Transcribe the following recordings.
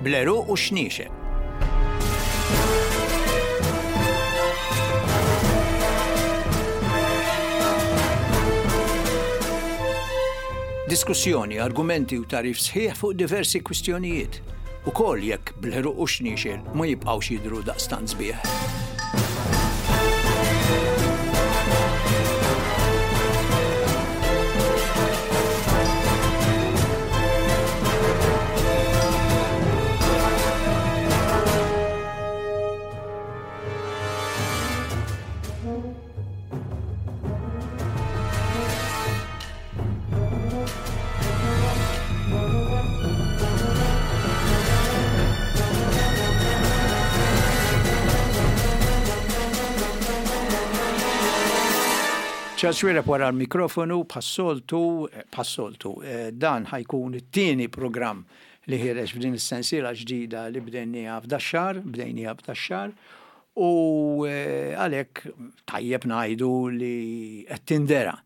Bl-għeruq u x-xniexel. Diskussjoni, argumenti u tagħrif sħiħ fuq diversi kwistjonijiet, ukoll jekk bl-għeruq u x-xniexel ma jibqgħux jidhru daqstant sbieħ. Charles Xuereb wara l-mikrofonu bħas-soltu, bħas-soltu, eh, dan ħajkun it-tieni programm li ħireġ f'din is-sensiela ġdida li bdejniha f'dax-xahar, bdejniha f'dax-xahar, u eh, għalhekk tajjeb ngħidu li qed tindera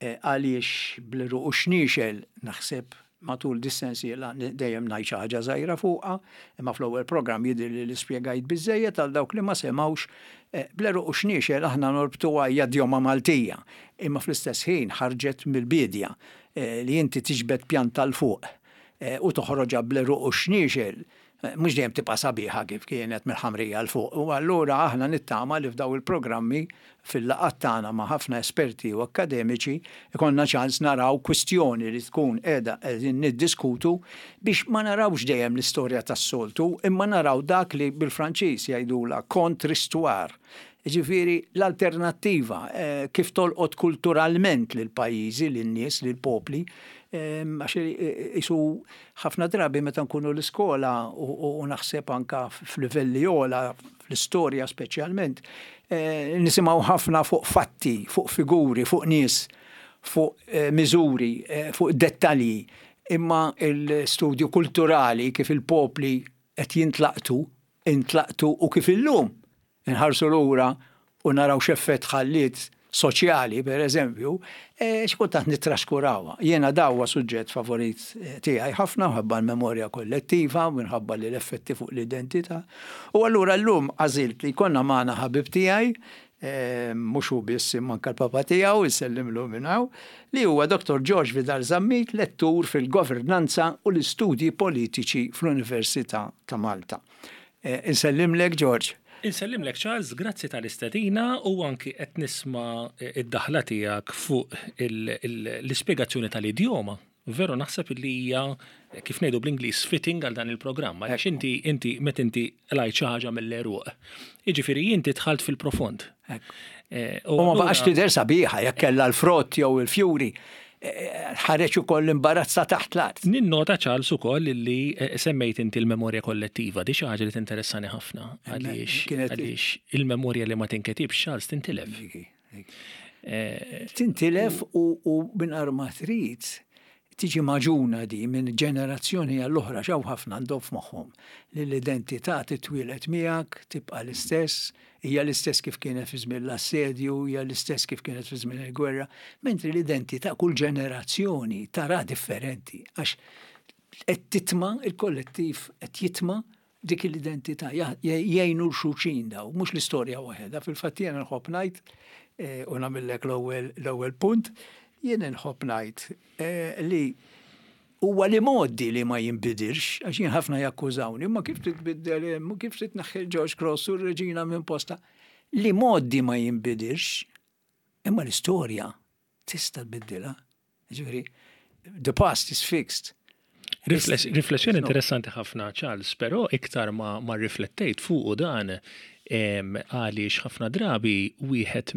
Għaliex bl-għeruq u x-xniexel naħseb matul dis-sensiela dejjem ngħid xi ħaġa żgħira fuqha, imma fl-ewwel programm jidhirli li spjegajt biżżejjed għal dawk li ma semgħux. Bl-għeruq u x-xniexel aħna norbtuha hija djoma Maltija, imma fl-istess ħin ħarġet mill-biedja li inti tiġbed pjanta 'l fuq u toħroġha bl-għeruq u x-xniexel mhux dejjem tibqa' sabiħa kif kienet mill-ħamrija 'l fuq. U allura aħna nittama li f'dawn il-programmi, fil-laqgħat tagħna ma' ħafna esperti u akkademiċi, ikollna ċans naraw kwistjoni li tkun qiegħda qegħdin niddiskutu biex ma narawx dejjem l-istorja tas-soltu imma naraw dak li bil-Franċiż jgħidulha contre-histoire, jiġifieri l-alternattiva, kif tolqot kulturalment lill-pajjiżi, lin-nies, lill-popli, għax qisu Ħafna drabi meta nkunu l-iskola u naħseb anke f'livelli ogħla, fl-istorja speċjalment, nisimgħu ħafna fuq fatti, fuq figuri, fuq nies, fuq miżuri, fuq dettalji. Imma l-istudju kulturali kif il-popli qed jintlaqtu, intlaqtu u kif illum inħarsu lura u naraw x'effett ħalliet soċjali, per eżempju, xi kultant nittraskurawha. Jiena da huwa suġġett favorit tiegħi ħafna minħabba l-memorja kollettiva, minħabba li l-effetti fuq l-identità. U allura llum għażilt li jkollna magħna ħabib tiegħi, mhux hu biss imma anke l-papa tiegħu, insellimlu minn hawn, li huwa Dottor George Vidal Zammit, lettur fil-Governanza u l-Istudji Politiċi fl-Università ta' Malta. Insellimlek George. Insellimlek Charles, grazzi tal-istedina u anki qed nisma' id-daħla tiegħek fuq l-ispjegazzjoni tal-idjoma. Veru naħseb li hija kif ngħidu bl-Ingliż fitting għal dan il-programm għaliex inti inti meta inti qlajt xi ħaġa mill-għeruq. Jiġifieri inti dħalt fil-profond. U ma baqax tidher sabiħa jekk kellha l-frott jew il-fjuri. Ħareġ ukoll l-imbarazz ta' taħt l-art. Ninnota Charles ukoll li semmejt inti l-memorja kollettiva, di xi ħaġa li tinteressani ħafna għaliex għaliex il-memorja li ma tinketibx Charles tintilef. Tintilef u mingħajr ma trid tiġi magħġuna di minn ġenerazzjoni għall oħra x'hawn ħafna għandhom f'moħħhom li l-identità titwieled miegħek, tibqa' l-istess, hija l-istess kif kienet fi żmien l-assedju, hija l-istess kif kienet fi żmien il-gwerra, mentri l-identità kull ġenerazzjoni tara differenti għax qed titma' il-kollettiv qed jitma' dik l-identità, jgħinu 'l xulxin daw, mhux l-istorja waħedha. Fil-fatt jiena nħobb ngħid, eh, u nagħmillek l-ewwel punt, jien nħobb ngħid eh, li huwa li modi li ma jinbidilx, għax jien ħafna jakkużawni, ma kif titbiddel hemm, kif titneħħi George Cross u r-reġina minn posta. Li modi ma jinbidilx, imma l-istorja tista' tbiddilha. Ġifieri, the past is fixed. Riflessjoni interessanti ħafna, Charles, però iktar ma, ma riflettejt fuq dan għaliex ħafna drabi wieħed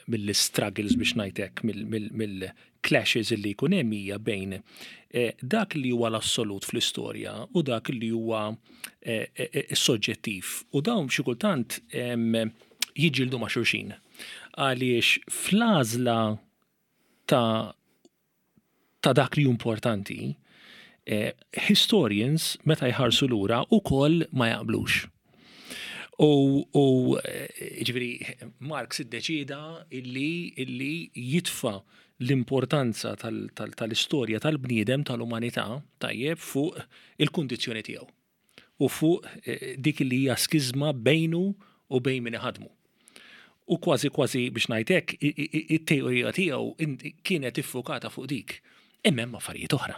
mill-struggles biex ngħidlek, mill-clashes li jkun hemm hija bejn eh, dak li huwa l-assolut fl-istorja u dak li huwa eh, eh, soġġettiv. U dawn xi kultant jiġġieldu ma' xulxin. Għaliex fl-għażla ta' ta' dak li hu importanti, eh, historians meta jħarsu lura ukoll ma jaqblux. U, u eh, ġifieri Marx iddeċida illi, illi jitfa' l-importanza tal-istorja tal-bniedem tal-umanità tajjeb fuq il-kundizzjoni tiegħu u fuq eh, dik li hija skiżma bejnu u bejn min iħadmu. U kważi kważi biex ngħid hekk it-teorija tiegħu kienet iffukata fuq dik. Imma hemm affarijiet oħra.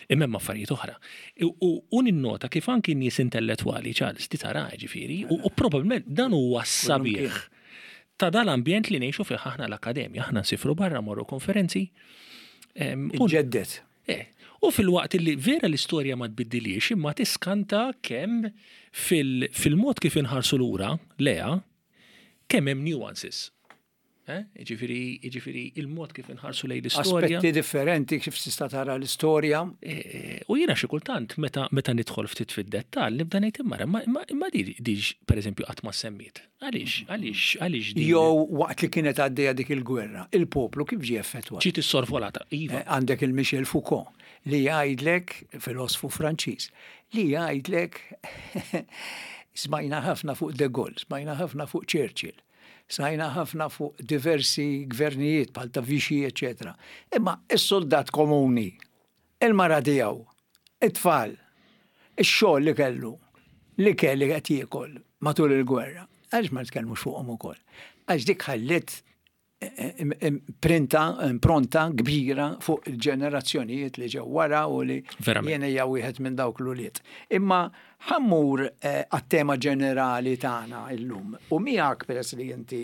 Imma hemm affarijiet oħra. U ninnota kif anki nies intellettwali, Charles, ti tara ġifieri, u probabbilment dan huwa sabiħ ta' dal-ambjent li ngħixu fih aħna l-akkademja. Aħna nsifru barra morru konferenzi. Ġeddet. Eh, u fil-waqt li vera l-istorja ma tbiddilix, imma tiskanta kemm fil-mod kif inħarsu lura lejha, kemm hemm nuances. Eh? Jiġifieri, jiġifieri il-mod kif inħarsu lejn l-istorja. Aspetti differenti kif tista' tara l-istorja. Eh, u jiena xi kultant meta meta nidħol ftit fid-dettall nibda ngħid imma imma imma di di pereżempju qatt ma semmiet. Għaliex, għaliex, għaliex din. Jew waqt li kienet għaddejja dik il-gwerra, il-poplu kif ġie effettwat? Ġiet issorvolata, iva. Eh, għandek il-Michel Foucault li jgħidlek, filosfu Franċiż, li jgħidlek smajna ħafna fuq De Gaulle, smajna ħafna fuq Churchill. Smajna ħafna fuq diversi gvernijiet bħal ta' Vichy, eċetera. Imma is-soldat komuni, il-mara tiegħu, it-tfal, ix-xogħol li kellu, l-ikel li qed jiekol matul il-gwerra, għaliex ma nitkellmux fuqhom ukoll? Għax dik ħalliet imprinta, impronta kbira fuq il-ġenerazzjonijiet li ġew wara u li jien hija wieħed minn dawk l-ulied. Imma Ħa mmur għat-tema ġenerali tagħna llum u miegħek peress li inti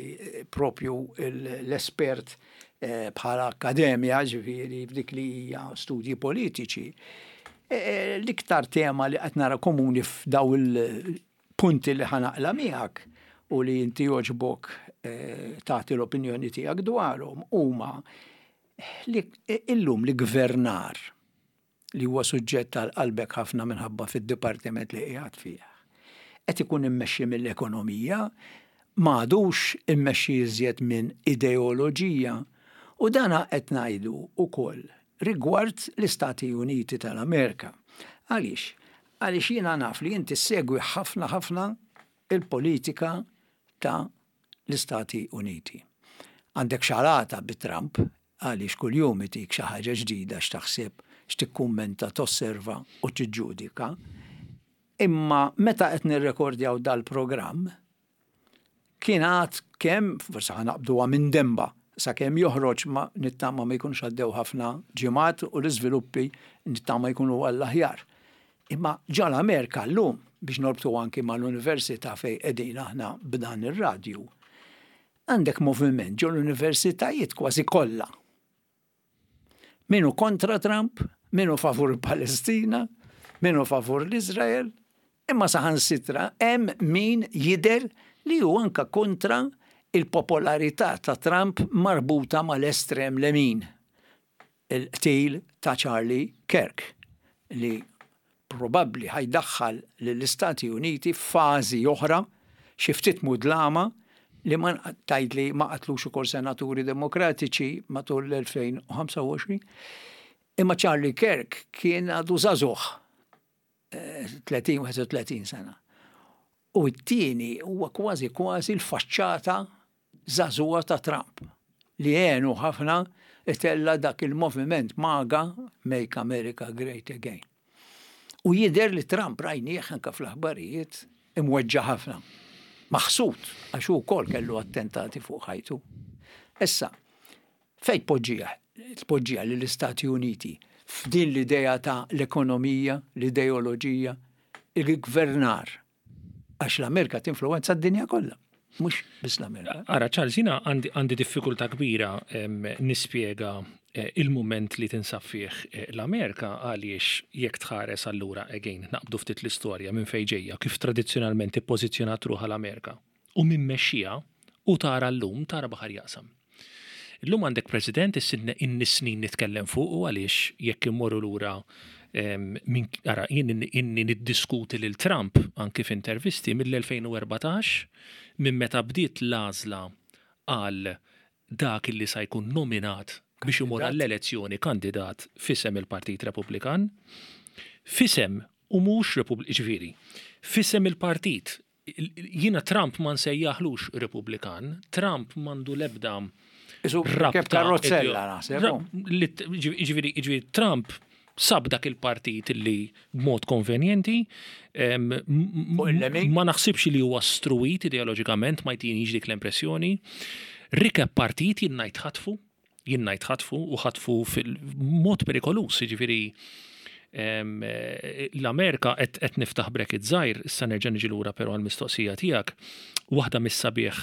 propju l-espert bħala akkademja, ġifieri f'dik li hija studji politiċi, l-iktar tema li qed nara komuni f'daw il-punti li ħa naqla' miegħek u li inti jogħġbok tagħti l-opinjoni tiegħek dwarhom huma li illum l-iggvernar li huwa suġġett għal qalbek ħafna minħabba fid-dipartiment li qiegħed fih, qed ikun immexxi mill-ekonomija, m'għadux immexxi iżjed minn ideoloġija. U dan qed ngħidu wkoll rigward l-Istati Uniti tal-Amerika. Għaliex? Għaliex jiena naf li inti ssegwi ħafna ħafna il-politika ta' l-Istati Uniti. Għandek xalata bi Trump għaliex kuljum itik xi ħaġa ġdida x'taħseb, x'tikkummenta, tosserva u tiġġudika. Imma meta qed nirrekordjaw dal-programm, kien għad kemm, forsi ħa naqbduha minn denba, sakemm joħroġ ma nittama ma jkunux għaddew ħafna ġimgħat u l-iżviluppi nittama jkunu għall-aħjar. Imma ġa l-Amerika llum, biex norbtu anki mal-università fejn qegħdin aħna b'dan ir-radju, Għandek moviment ġo l-universitajiet kważi kollha. Min hu kontra Trump, min hu favur il-Palestina, min hu favur l-Iżrael, imma saħansitra hemm min jidher li hu anka kontra il-popolarità ta' Trump marbuta mal-estrem lemin. Il-qtil ta' Charlie Kirk li probabbli ħa jdaħħal lill-Istati Uniti f'fażi oħra xi ftit mudlama li ma tgħidli ma qatlux ukoll senaturi Demokratiċi matul l-2025. Imma Charlie Kirk kien għadu żagħżugħ 30-31 sena. U t-tieni huwa kważi kważi l-faċċata żagħżugħa ta' Trump li għenu ħafna itella' dak il-moviment MAGA, Make America Great Again. U jidher li Trump rajnieh anke fl-aħbarijiet imweġġa' ħafna. Maħsud għax hu wkoll kellu attentati fuq ħajtu. Issa, fejn tpoġġiha? Tpoġġiha lill-Istati Uniti f'din l-idea ta' l-ekonomija, l-ideoloġija, il-gvernar Għax l-Amerika tinfluwenza d-dinja kollha, mhux biss l-Amerika. Ara, Charles, jiena għandi diffikultà kbira nispjega eh, il-mument li tinsab fih eh, l-Amerika għaliex jekk tħares allura again naqbdu ftit l-istorja minn fejn ġejja kif tradizzjonalment ippożizzjonat ruħha l-Amerika u min mexxiha u tara llum tara baħar jaqsam. Illum għandek President issidna inni snin nitkellem fuqu għaliex jekk immorru lura minn ara jien inni niddiskuti lil Trump anki f'intervisti mill-2014 minn meta bdiet l-għażla għal dak illi sa jkun nominat biex imur għall-elezzjoni kandidat f'isem il-Partit Repubblikan, f'isem u mhux jiġifieri f'isem il-partit Jiena Trump ma nsejjaħlux Repubblikan, Trump m'għandu l-ebda rabta. Karrozzella naħseb. Ġifieri Trump sab dak il-partit li b'mod konvenjenti, ma naħsibx li huwa struwit ideoloġikament, ma jtinix dik l-impressjoni. Rikeb partit jien ngħid ħatfu, jien ngħid ħatfu u ħatfu fil-mod perikoluż, jiġifieri l-Amerika qed niftaħ bracket żgħir, issa nerġa' niġi lura però għall-mistoqsija tiegħek, waħda mis-sabiħ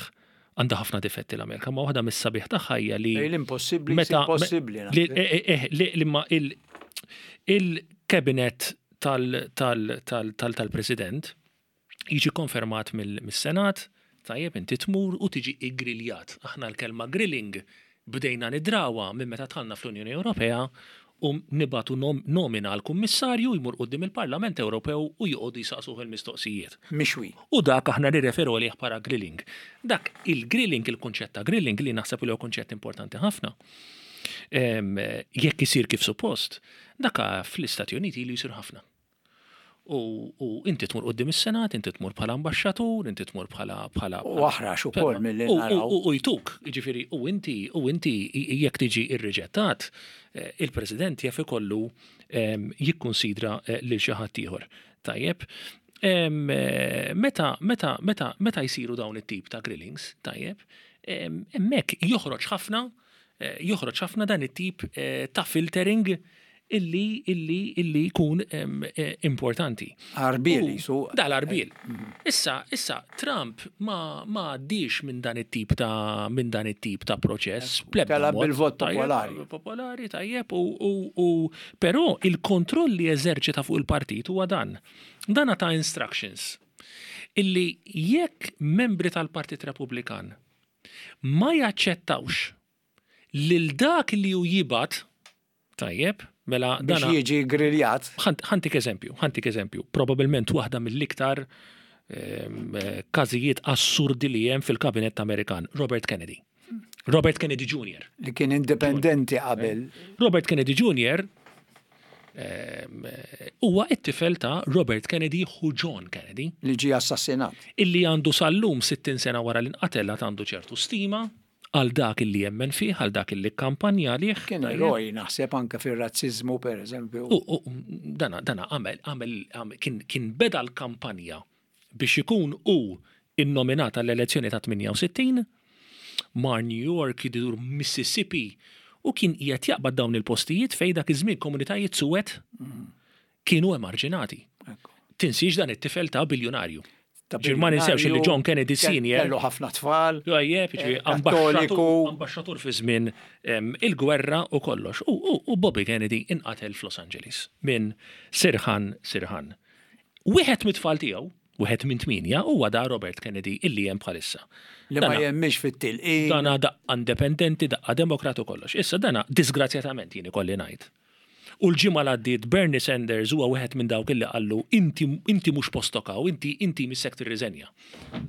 għandha ħafna difetti l-Amerika, ma waħda mis-sabiħ tagħha hija li l-impossibbli meta possibbli. Li ma il-cabinet tal-president jiġi konfermat mis-Senat, tajjeb inti tmur u tiġi iggriljat. Aħna l-kelma grilling bdejna nidrawha minn meta dħalna fl-Unjoni Ewropea u nibagħtu nomina għal kummissarju jmur quddiem il-Parlament Ewropew u joqogħdu jsaqsuh il-mistoqsijiet. Mixwi. U dak aħna nirreferu għalih bħala grilling. Dak il-grilling, il-kunċett ta' grilling li naħseb li huwa kunċett importanti ħafna. Jekk isir kif suppost, dak fl-Istati Uniti ilu jsir ħafna. U inti tmur quddiem is-Senat, inti tmur bħala ambaxxatur, inti tmur bħala bħala U aħrax ukoll milli naraw. U jtuk, jiġifieri u inti u inti jekk tiġi irriġettat, il-President jaf ikollu jikkunsidra lil xi ħadd ieħor. Tajjeb. Meta meta meta meta jsiru dawn it-tip ta' grillings, tajjeb, hemmhekk joħroġ ħafna joħroġ ħafna dan it-tip ta' filtering illi illi illi jkun importanti. Arbiel jisu. Dal-arbiel. Issa, issa Trump ma ma għaddix minn dan it-tip ta' minn dan it-tip ta' proċess. Tela bil-vot popolari. Popolari, tajjeb, u però il-kontroll li eżerċita fuq il-partit huwa dan. Dan ta' instructions illi jekk membri tal-Partit Repubblikan ma jaċċettawx lil dak li hu jibgħat, tajjeb, mela biex jiġi griljat. Ħantik eżempju, ħantik eżempju, probabilment waħda mill-iktar każijiet assurdi li hemm fil-kabinett Amerikan, Robert Kennedy. Robert Kennedy Jr. Li kien indipendenti qabel. Robert Kennedy Jr. huwa it-tifel ta' Robert Kennedy u John Kennedy. Li ġie assassinat. Illi għandu sal-lum 60 sena wara li nqatel għandu ċertu stima għal dak illi jemmen fih, għal dak illi kampanja għalih. Kien eroj naħseb anke fir-razziżmu per eżempju. U dana dana għamel għamel kien beda l-kampanja biex ikun hu innominat għall-elezzjoni ta' 68, mar New York, idur Mississippi, u kien qiegħed jaqbad dawn il-postijiet fejn dak iż-żmien komunitajiet suwed kienu emarġinati. Tinsiex dan it-tifel ta' biljunarju. Ġifieri ma ninsewx li John Kennedy Senior. Kellu ħafna tfal. Tajjeb, ġifieri ambaxxatur fi żmien il-gwerra u kollox. U Bobby Kennedy inqatel f'Los Angeles minn Sirhan Sirhan. Wieħed mit-tfal tiegħu, wieħed minn 8, huwa da Robert Kennedy illi hemm bħalissa. Li ma jemmix fit-tilqim. Dana daqqa independenti, daqqa demokrat u kollox. Issa dana disgrazzjatament jien ikolli ngħid. U l-ġimgħa li għaddiet Bernie Sanders huwa wieħed minn dawk illi qallu inti inti mhux postok hawn, inti inti missek tirriżenja.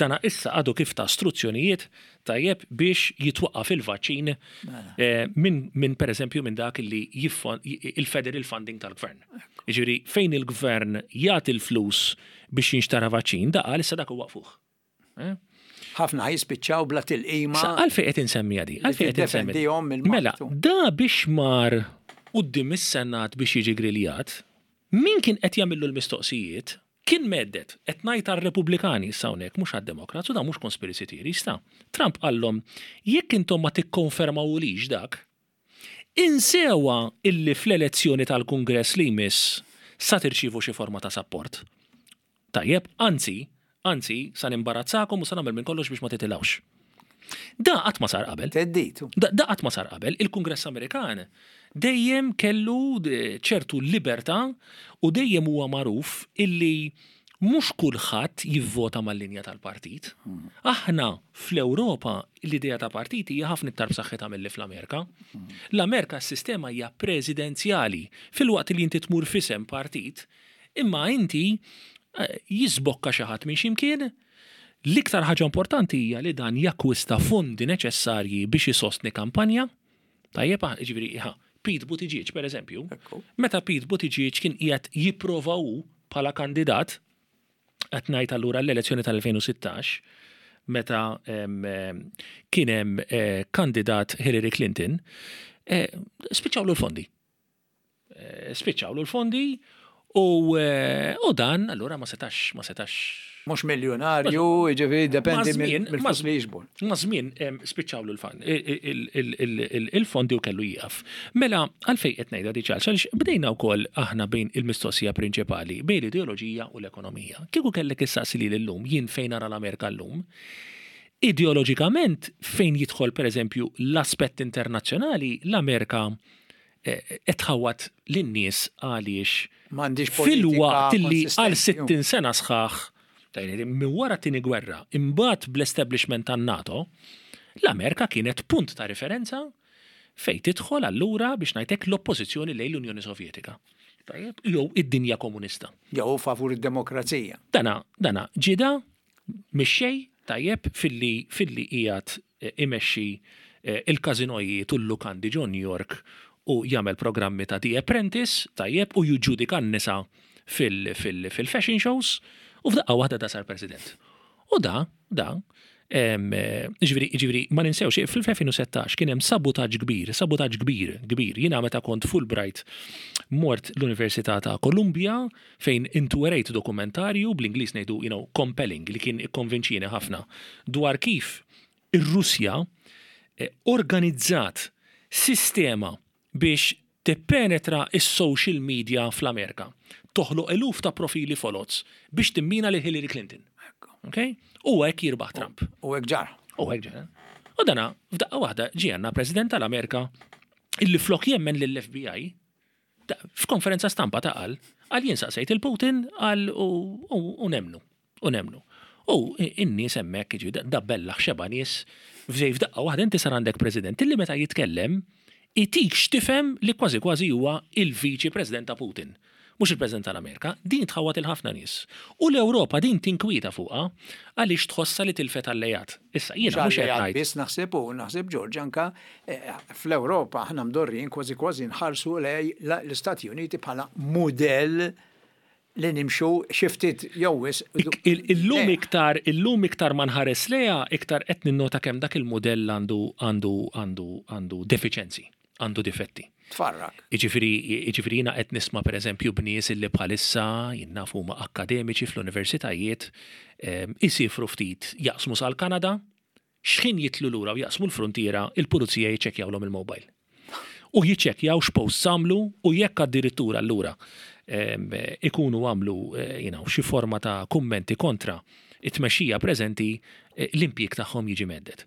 Dana issa għadu kif ta struzzjonijiet tajjeb biex jitwaqqaf il-vaċċin minn min pereżempju minn dak li il-federal funding tal-gvern. Jiġifieri fejn il-gvern jagħti l-flus biex jinxtara vaċċin, da qal issa dak iwaqqfuh. Ħafna jispiċċaw bla tilqima. Għalfejn qed insemmiha di? Għalfejn qed insemmiha? Mela, da biex mar quddiem is-Senat biex jiġi griljat, min kien qed jagħmillu l-mistoqsijiet kien mhedded, qed ngħid għar-Repubblikani issa hawnhekk mhux għad-Demokrats u da mhux conspiracy theories ta'. Trump qallhom jekk intom ma tikkonfermawulix dak, insewha illi fl-elezzjoni tal-Kungress li jmiss sa tirċievu xi forma ta' sapport. Tajjeb, anzi, anzi, sa nimbarazzakom u sa nagħmel minn kollox biex ma titilgħux. Da qatt ma sar qabel. Theddid. Da qatt ma sar qabel. Il-Kungress Amerikan dejjem kellu ċertu libertà u dejjem huwa magħruf illi mhux kulħadd jivvota mal-linja tal-partit. Aħna fl-Ewropa l-idea ta' partit hija ħafna iktar b'saħħitha milli fl-Amerika. L-Amerika s-sistema hija presidenzjali filwaqt li inti tmur f'isem partit, imma inti jisbokka xi ħadd minn x'imkien. L-iktar ħaġa importanti hija li dan jakkwista fondi neċessarji biex isostni kampanja. Tajjeb, jiġifieri, Pete Buttigieg, per eżempju, meta Pete Buttigieg kien qiegħed jipprova hu bħala kandidat, qed ngħid allura l-elezzjoni tal-2016, meta kien hemm kandidat Hillary Clinton, spiċċawlu l-fondi. Spiċċawlu l-fondi u dan allura ma setax ma setax. Mhux miljonarju, jiġifieri dependi mill-flus li jiġbor. Ma' żmien spiċċawlu il-fondi u kellu jieqaf. Mela għalfejn qed ngħidha di Charles? Għaliex bdejna wkoll aħna bejn il-mistoqsija prinċipali bejn l-ideoloġija u l-ekonomija. Kieku kellek issaqsi lili llum jien fejn nara l-Amerika llum, ideoloġikament fejn jidħol pereżempju l-aspett internazzjonali l-Amerika qed tħawwad lin-nies għaliex M'għandix filwaqt li għal 60 sena sħaħ minn wara t-tieni gwerra, imbagħad bl-establishment tan-NATO, l-Amerika kienet punt ta' riferenza fejn tidħol allura biex ngħid hekk l-oppożizzjoni lejn l-Unjoni Sovjetika. Tajjeb, jew id-dinja komunista. Jew favur id-demokrazija. Dana, dana ġida mixxej tajjeb filli filli qiegħed imexxi il-każinojiet u l-lukandi ġo New York u jagħmel programmi ta' The Apprentice, tajjeb, u jiġġudika n-nisa fil-fashion shows, u f'daqqa waħda da sar president. U da, da, ġifieri, ġifieri, ma ninsewx, fl-2016 kien hemm sabutaġġ kbir, sabutaġġ kbir, kbir. Jiena meta kont Fulbright mort l-Università ta' Columbia fejn intwerejt dokumentarju, bl-Ingliż ngħidu, you know, compelling, li kien ikkonvinċieni ħafna dwar kif ir-Russja organizzat sistema biex tippenetra s-social media fl-Amerika, toħloq eluf ta' profili foloz biex timmina lil Hillary Clinton. Okay? U hekk jirbaħ Trump. U hekk ġara. U hekk ġara. U dana, f'daqqa waħda ġie għandna President tal-Amerika illi flok jemmen lill-FBI, f'konferenza stampa ta' qal, qal jien saqsejt il-Putin qal u nemnu. U nemmnu. U n-nies hemmhekk, jiġifieri da bellaħ xebgħa nies f'żej f'daqqa waħda inti sar għandek President illi meta jitkellem itik x'tifhem li kważi kważi huwa il-Viċi President ta' Putin. Mhux il-President tal-Amerika. Din tħawwad 'il ħafna nies. U l-Ewropa din tinkwieta fuqha għaliex tħossha li tilfet alleat. Issa jiena mhux qed ngħid. Biss naħseb u naħseb George anke fl-Ewropa aħna mdorrijin kważi kważi nħarsu lejn l-Istati Uniti bħala mudell li nimxu xi ftit jew wisq. Illum iktar, illum iktar ma nħares lejha, iktar qed ninnota kemm dak il-mudell għandu għandu għandu għandu defiċenzi, għandu difetti. Tfarrak. Jiġifieri, jiġifieri jiena qed nisma' pereżempju b'nies illi bħalissa jien naf huma akkademiċi fl-universitajiet, isiefru ftit jaqsmu sal-Kanada, X'ħin jidħlu lura u jaqsmu l-fruntiera, il-pulizija jiċċekkjawlhom il-mobile. U jiċċekkjaw x'posts għamlu u jekk addirittura allura ikunu għamlu you know, xi forma ta' kummenti kontra it-tmexxija preżenti, l-impjieg tagħhom jiġi mhedded.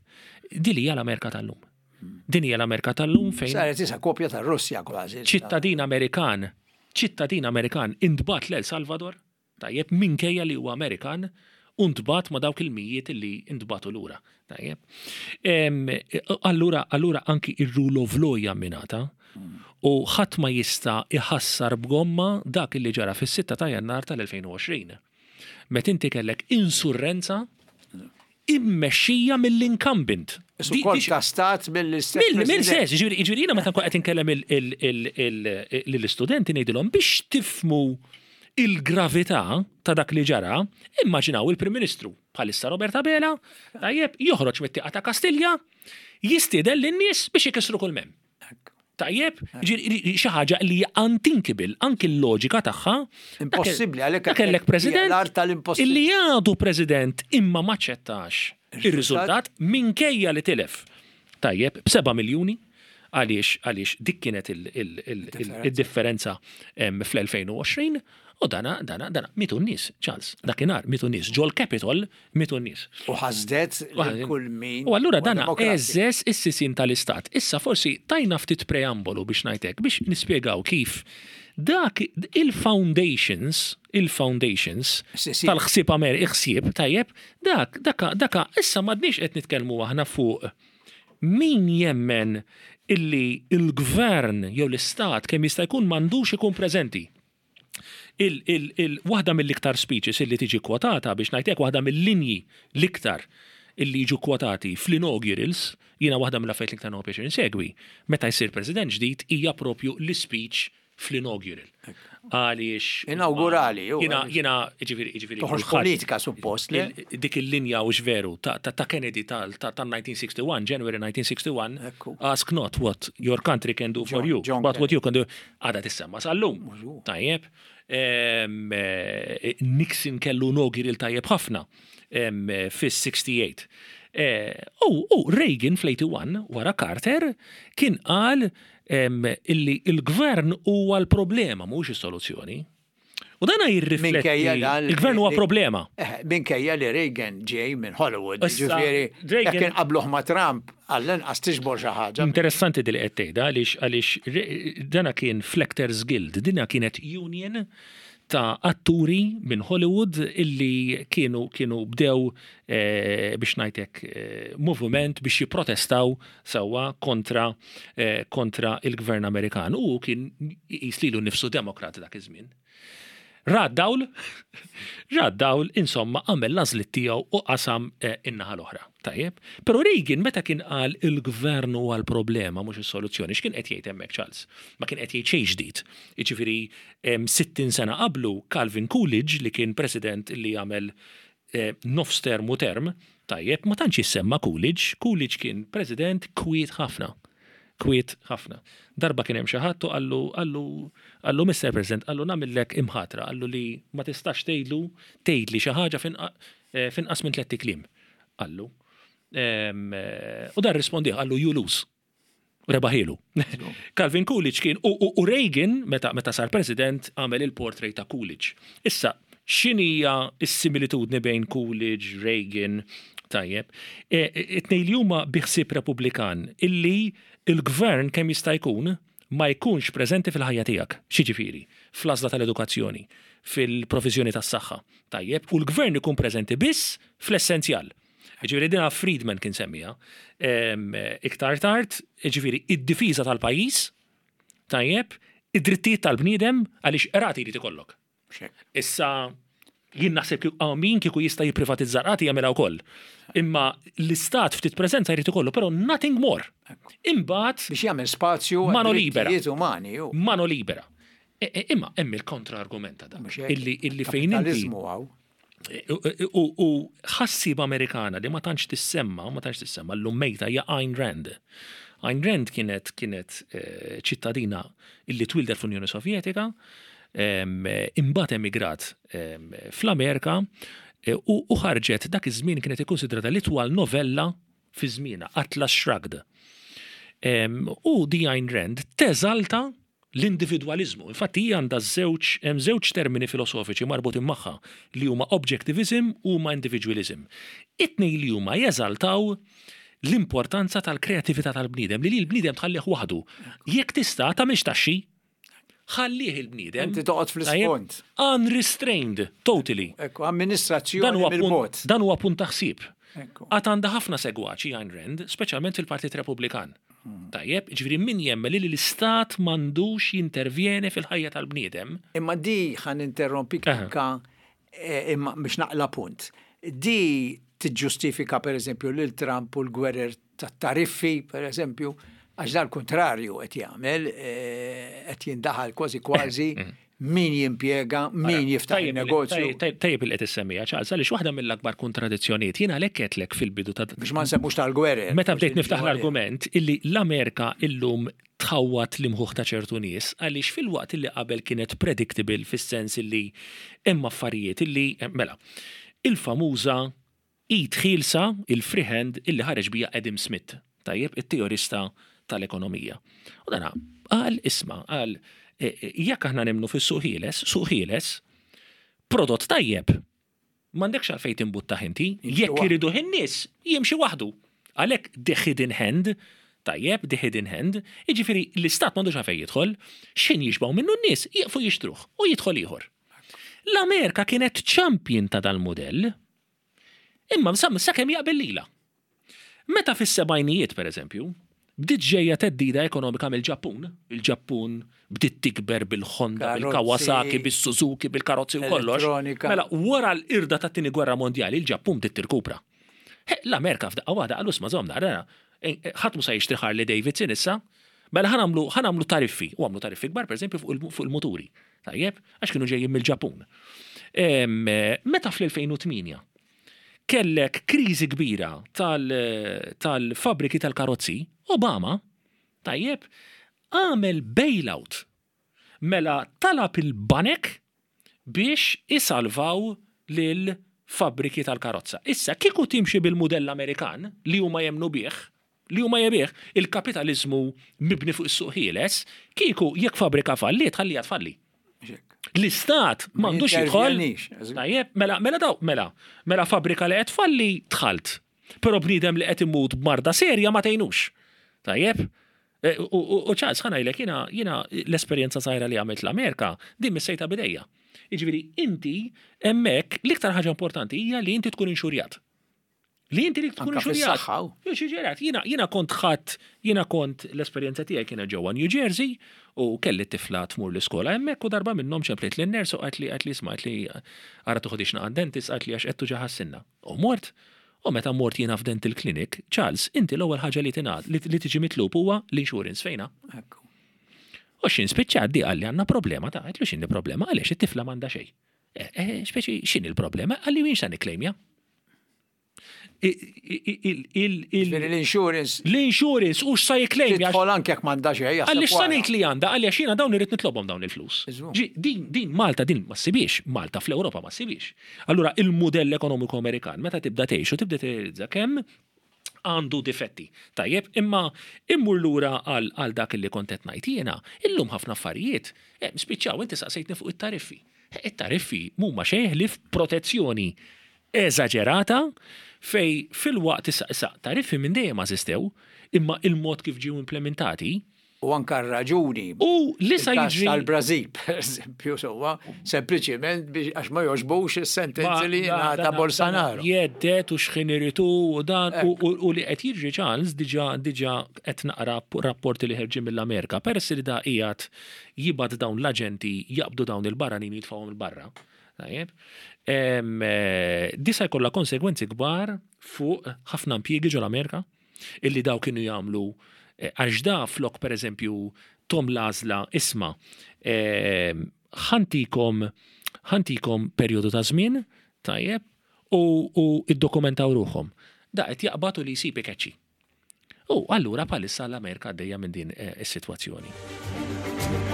Din hija l-Amerika tal-lum. Din hija l-Amerika tal-lum fejn. Saret isa kopja tar-Russja kważi. Ċittadin Amerikan, ċittadin Amerikan intbagħat l-El Salvador Tajjeb, minkejja li huwa Amerikan u ntbagħat ma' dawk il-mijiet li ntbagħtu lura. Tajjeb. Allura, allura anki ir-rule of law hija mminata u ħadd ma jista' iħassar b'gomma dak li ġara fis-6 ta' Jannar tal-2020. Meta inti kellek insurrenza immexxija mill-incumbent. Isu kolp ta' stat mill-istess. Mill-istess, jiġifieri jiena meta nkun qed inkellem lill-istudenti ngħidilhom biex tifhmu il-gravità ta' dak li ġara, immaġinaw il-Prim Ministru bħalissa Robert Abela, tajjeb, joħroġ mit-tieqa ta' Kastilja, jistieden lin-nies biex ikissru kull m'hemm. Tajjeb, xi ħaġa li hija unthinkable, anki l-loġika tagħha. Impossibbli għalhekk kellek president illi għadu president imma ma ċettax ir-riżultat minkejja li tilef. Tajjeb, b'seba' miljuni għaliex għaliex dik kienet il-differenza fl-2020 u dana dana dana mitu n-nies, Charles, dakinhar mitu n-nies ġol Capitol Mietu n-nies. U ħasdet lil kull min. U allura dan għeżżeż is-sisien tal-istat. Issa forsi tajna ftit preambolu biex ngħid hekk, biex nispjegaw kif dak il-foundations, il-foundations tal-ħsieb Amer, il-ħsieb, tajjeb, dak, daka, daka, issa m'għadniex qed nitkellmu aħna fuq min jemmen illi l-gvern jew l-istat kemm jista' jkun m'għandux ikun preżenti. Il, il, il, waħda mill-iktar speeches illi tiġi kwotata, biex ngħid hekk, waħda mill-linji l-iktar illi jiġu kwotati fl-inaugurals, jiena waħda mill-affarijiet l-iktar nieħu pjaċir insegwi, meta jsir president ġdid hija propju l-ispeech fl-inaugural. Għaliex. Inawgurali. Jiena, jiena, jiġifieri, jiġifieri. Toħroġ politika suppost li. Dik il-linja hux veru ta' Kennedy tal-1961, January 1961, ask not what your country can do for you, but what you can do. Għadha tissemma sal-lum. Tajjeb. Nixon kellu inaugural tajjeb ħafna fis-68. U Reagan fl-81 wara Carter kien qal illi il-gvern huwa l-problema mhux is-soluzzjoni. U dana jirrifletti il-gvern huwa problema. Minkejja li Reagan ġej minn Hollywood, ġifieri jekk inqabbluh ma' Trump, għall-inqas tiġbor xi ħaġa. Interessanti din li qed tgħidha għaliex għaliex dana kien fl-Actors Guild, dina kienet union ta' atturi minn Hollywood illi kienu kienu bdew biex ngħid hekk moviment biex jipprotestaw sewwa kontra kontra il-gvern Amerikan u hu kien iqis lilu nnifsu Demokrat dak iż-żmien. Ra d-dawl, ra d-dawl, insomma għamel l-għażliet tiegħu u qasam in-naħa l-oħra. Tajjeb? Però Reagan meta kien qal il-gvern huwa l-problema mhux is-soluzzjoni, x'kien qed jgħid hemmhekk Charles? Ma kien qed jgħid xejn ġdid. Jiġifieri 60 sena qablu Calvin Coolidge li kien president li għamel nofs term u term, tajjeb, ma tantx jissemma Coolidge, Coolidge kien president kwiet ħafna. Kwiet ħafna. Darba kien hemm xi ħadd u qallu qallu qallu Mister President, qallu nagħmillek imħatra, qallu li ma tistax tgħidlu tgħidli xi ħaġa f'inqas minn tlett ikliem. Qallu. U dan rrispondih qallu you lose. Rebaħielu. Calvin Coolidge kien, u Reagan, meta, meta sar president, għamel il-portrait ta' Coolidge. Issa, x'inhija s-similitudni bejn Coolidge, Reagan, tajjeb? E, it-tnejn li huma bi ħsieb Repubblikan illi l-gvern kemm jista' jkun ma jkunx preżenti fil-ħajja tiegħek. X'jiġifieri? Fl-għażla tal-edukazzjoni, fil-proviżjoni tas-saħħa, tajjeb, u l-gvern ikun preżenti biss fl-essenzjal. Jiġifieri dinha Friedman kien semmiha. Iktar tard, jiġifieri id-difiża tal-pajjiż, tajjeb, id-drittijiet tal-bniedem għaliex qrati jrid ikollok. Issa jien naħseb kieku min kieku jista' jipprivatizza qrati jagħmilha wkoll. Imma l-istat ftit preżenza jrid ikollu, però nothing more. Imbagħad biex jagħmel spazju mano libera. Umani. Mano libera. E, e, imma hemm il-kontra-argument ta' dan. Illi fejn inti. U ħassieba Amerikana li ma tantx tissemma, ma tantx tissemma, llum mejta hija Ayn Rand. Ayn Rand kienet kienet eh, ċittadina illi twildet fl-Unjoni Sovjetika, imbagħad emigrat fl-Amerika eh, u ħarġet dak iż-żmien kienet ikkunsidrata l-itwal novella fi żmienha, Atlas Shrugged. U di Ayn Rand teżalta l-individwaliżmu. Infatti hi għandha żewġ, hemm żewġ termini filosofiċi marbutin magħha li huma objectivism u huma individualism. It-tnejn li huma jeżaltaw l-importanza tal-kreatività tal-bniedem, li l-bniedem tħallih waħdu. Jekk tista' tagħmilx taxxi, ħallih il-bniedem. Inti toqgħod fl-isfond. Unrestrained, totally. Ekku, amministrazzjoni mill-bogħod. Dan huwa punt ta' ħsieb. Għad għandha ħafna segwaċi Ayn Rand, speċjalment fil-Partit Repubblikan. Tajjeb, jiġifieri min jemmen li l-istat m'għandux jintervjeni fil-ħajja tal-bniedem. Imma di ħa ninterrompik anka imma biex naqla' punt. Di tiġġustifika pereżempju lil Trump u l-gwerer tat-tariffi pereżempju, għax dan l-kuntrarju qed jagħmel, qed jindaħal kważi kważi min jimpjega, min jiftaħ in-negozju. Tajjeb li qed issemmiha, Charles, għaliex waħda mill-akbar kontradizzjonijiet, jien għalhekk għedtlek fil-bidu ta' Biex ma nsemmux tal-gwerer. Meta bdejt niftaħ l-argument illi l-Amerika illum tħawwad l-imħuħ ta' ċertu nies għaliex filwaqt illi qabel kienet predictable fis-sens illi hemm affarijiet illi mela, il-famuża id ħielsa, il-free hand, illi ħareġ biha Adam Smith, tajjeb, it-teorista tal-ekonomija. U dana qal, isma', qal, jekk aħna nemmnu fis-suq ħieles, suq ħieles, prodott tajjeb, m'għandekx għalfejn timbuttah inti, jekk iriduh in-nies, jimxi waħdu. Għalhekk the hidden hand, tajjeb, the hidden hand, jiġifieri l-istat m'għandux għalfejn jidħol, x'ħin jixbgħu minnu n-nies, jieqfu jixtruh u jidħol ieħor. L-Amerika kienet champion ta' dal-mudell, imma sakemm jaqbel lilha. Meta fis-sebgħinijiet, pereżempju, bdiet ġejja theddida ekonomika mill-Ġappun, il-Ġappun bdiet tikber bil-Honda, bil-Kawasaki, bis-Suzuki, bil-karozzi u kollox. Mela wara l-qirda tat-Tieni Gwerra Mondjali, il-Ġappun bdiet tirkupra. L-Amerika f'daqqa waħda qalu isma' żomm naqra, ħadd mhu se jixtri Harley Davidson issa, mela ħa nagħmlu tariffi, u għamlu tariffi kbar pereżempju fuq il-muturi. Tajjeb, għax kienu ġejjin mill-Ġapun. Meta fl-2008 kellek kriżi kbira tal-fabriki tal-karozzi, Obama, tajjeb, għamel bailout. Mela talab il-banek biex isalvaw lil fabbriki tal-karozza. Issa, kieku timxi bil-mudell Amerikan li huma jemmnu bih, li huma jebih, il-kapitaliżmu mibni fuq is-suq ħieles, kieku jekk fabbrika falliet ħalliha tfalli. L-istat m'għandux jidħol. Tajjeb, mela, mela daw, mela, mela fabbrika li qed tfalli dħalt. Però bniedem li qed imut b'marda serja ma tgħinux. Tajjeb? E, u Charles, ħa ngħidlek, jiena jiena l-esperjenza żgħira li għamilt l-Amerika, din missejtha b'idejja. Jiġifieri inti hemmhekk l-iktar ħaġa importanti hija li inti tkun inxurjat. Li inti li tkun inxurjat. Inxurjat. Jiena jiena kont ħadd, jiena kont l-esperjenza tiegħi kienet ġewwa New Jersey u kelli tifla tmur l-iskola hemmhekk u darba minnhom ċemplit lin-nurse u qalt li qalt li isma' li ara toħodix naqa' dentist qalt li għax qed tuġaħ sinna. U mort, u meta mort jiena f'dental clinic, Charles, inti l-ewwel ħaġa li tingħad li tiġi mitlub huwa l-insurance fejna. U x'in spiċċat di qalli għandna problema ta' għedtlu x'inhi problema għaliex it-tifla m'għandha xejn. Eh, eh, speċi x'inhi l-problema? Qalli jien x'sa nikklejmja. L-insurance. L-insurance u x'sa jiklejmja. Tidħol anke jekk m'għandha xejn. Għaliex sa ngħid li għandha, għaliex jiena dawn irrid nitlobhom dawn il-flus. Din din Malta din ma ssibhiex, Malta fl-Ewropa ma ssibhiex. Allura il-mudell ekonomiku Amerikan meta tibda tgħix u tibda tirrealizza kemm għandu difetti. Tajjeb, imma immur lura għal dak li kont qed ngħid jiena, illum ħafna affarijiet eh, spiċċaw inti saqsejtni fuq it-tariffi. It-tariffi mhuma xejn ħlief protezzjoni eżaġerata fejn filwaqt issa issa tariffi minn dejjem eżistew imma il-mod kif ġew implementati U anka r-raġuni. U li sa jiġri. Tal-Brażil, per eżempju, sewwa, sempliċiment biex għax ma jogħġbux is-sentenzi li ngħata Bolsonaro. Jeddet u x'ħin iritu u dan u li qed jiġri Charles diġà diġà qed naqra rapporti li ħerġin mill-Amerika peress li da qiegħed jibgħat dawn l-aġenti jaqbdu dawn il-barranin jitfgħuhom 'il barra. Tajjeb. Di sa jkollha konsegwenzi kbar fuq ħafna impjiegi ġol-Amerika illi daw kienu jagħmlu eh, għax da flok pereżempju tom l-għażla isma' ħantikom ħantikom perjodu ta' żmien tajjeb u, u iddokumentaw ruħhom. Da qed jaqbad u li jsib ikeċċi. U allura bħalissa l-Amerika għaddejja minn din eh, is-sitwazzjoni.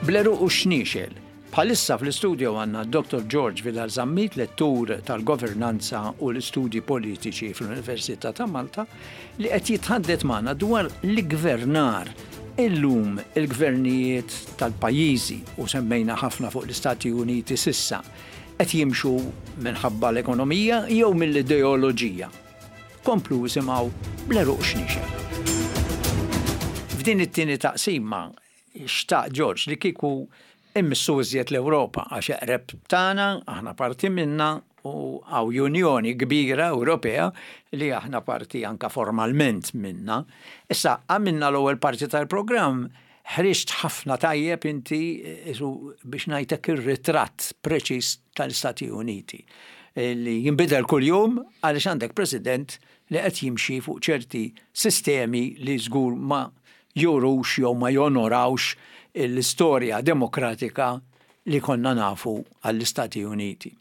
Bleru u xniexel. Bħalissa fl-istudio għanna Dr. George Vidal Zammit, lettur tal-governanza u l-istudji politiċi fl-Università ta' Malta, li qed jitħaddet magħna dwar l-gvernar illum il-gvernijiet tal-pajjiżi u semmejna ħafna fuq l-Istati Uniti sissa Qed jimxu minħabba l-ekonomija jew mill-ideoloġija? Komplu isimgħu bl-għeruq xniexef. F'din it-tieni taqsima xtaq George li kieku immissu iżjed l-Ewropa għax eqreb tagħna, aħna parti minnha u hawn Unjoni kbira Ewropea li aħna parti anke formalment minnha. Issa għamilna l-ewwel parti tal-programm Ħriġt ħafna tajjeb inti isu biex ngħidlek ir-ritratt preċiż tal-Istati Uniti li jinbidel kuljum għaliex għandek President li qed jimxi fuq ċerti sistemi li żgur ma jurux jew ma jonorawx l-istorja demokratika li konna nafu għall-Istati Uniti.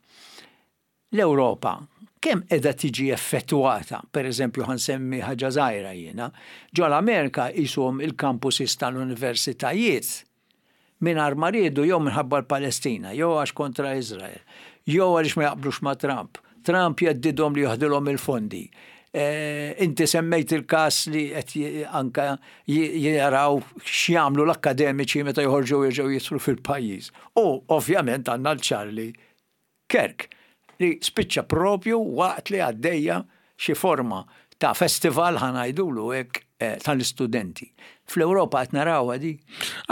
L-Ewropa kemm qiegħda tiġi effettwata, per eżempju ħa nsemmi ħaġa żgħira jiena, ġol-Amerika qishom il-campuses tal-universitajiet mingħajr ma riedu jew minħabba l-Palestina, jew għax kontra Iżrael, jew għaliex ma jaqblux ma' Trump. Trump jheddidhom li joħdilhom il-fondi. Inti semmejt il-każ li qed anke jaraw x'jagħmlu l-akkademiċi meta joħorġu jerġgħu jidħlu fil-pajjiż. U ovvjament għandna l-Charlie Kirk, li spiċċa propju waqt li għaddejja xi forma ta' festival ħa ngħidulu hekk tal-istudenti. Fl-Ewropa qed narawha di?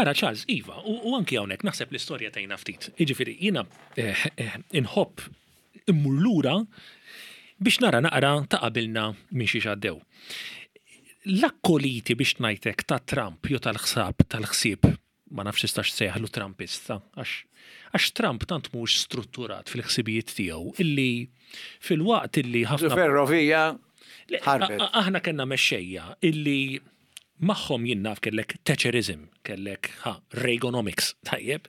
Ara Charles, iva, u anki hawnhekk naħseb l-istorja tgħinna ftit. Jiġifieri jiena inħobb immur lura biex nara naqra ta' qabilna minn xiex għaddew. L-akkoliti biex ngħidlek ta' Trump jew tal-ħsab tal-ħsieb ma nafx tistax tsejjaħlu Trumpista, għax għax Trump tant mhux strutturat fil-ħsibijiet tiegħu illi filwaqt illi ħafna. Ferrovija ħarbet. Aħna kellna mexxejja illi Magħhom jien naf kellek Thatcherism, kellek ha, Reaganomics, tajjeb.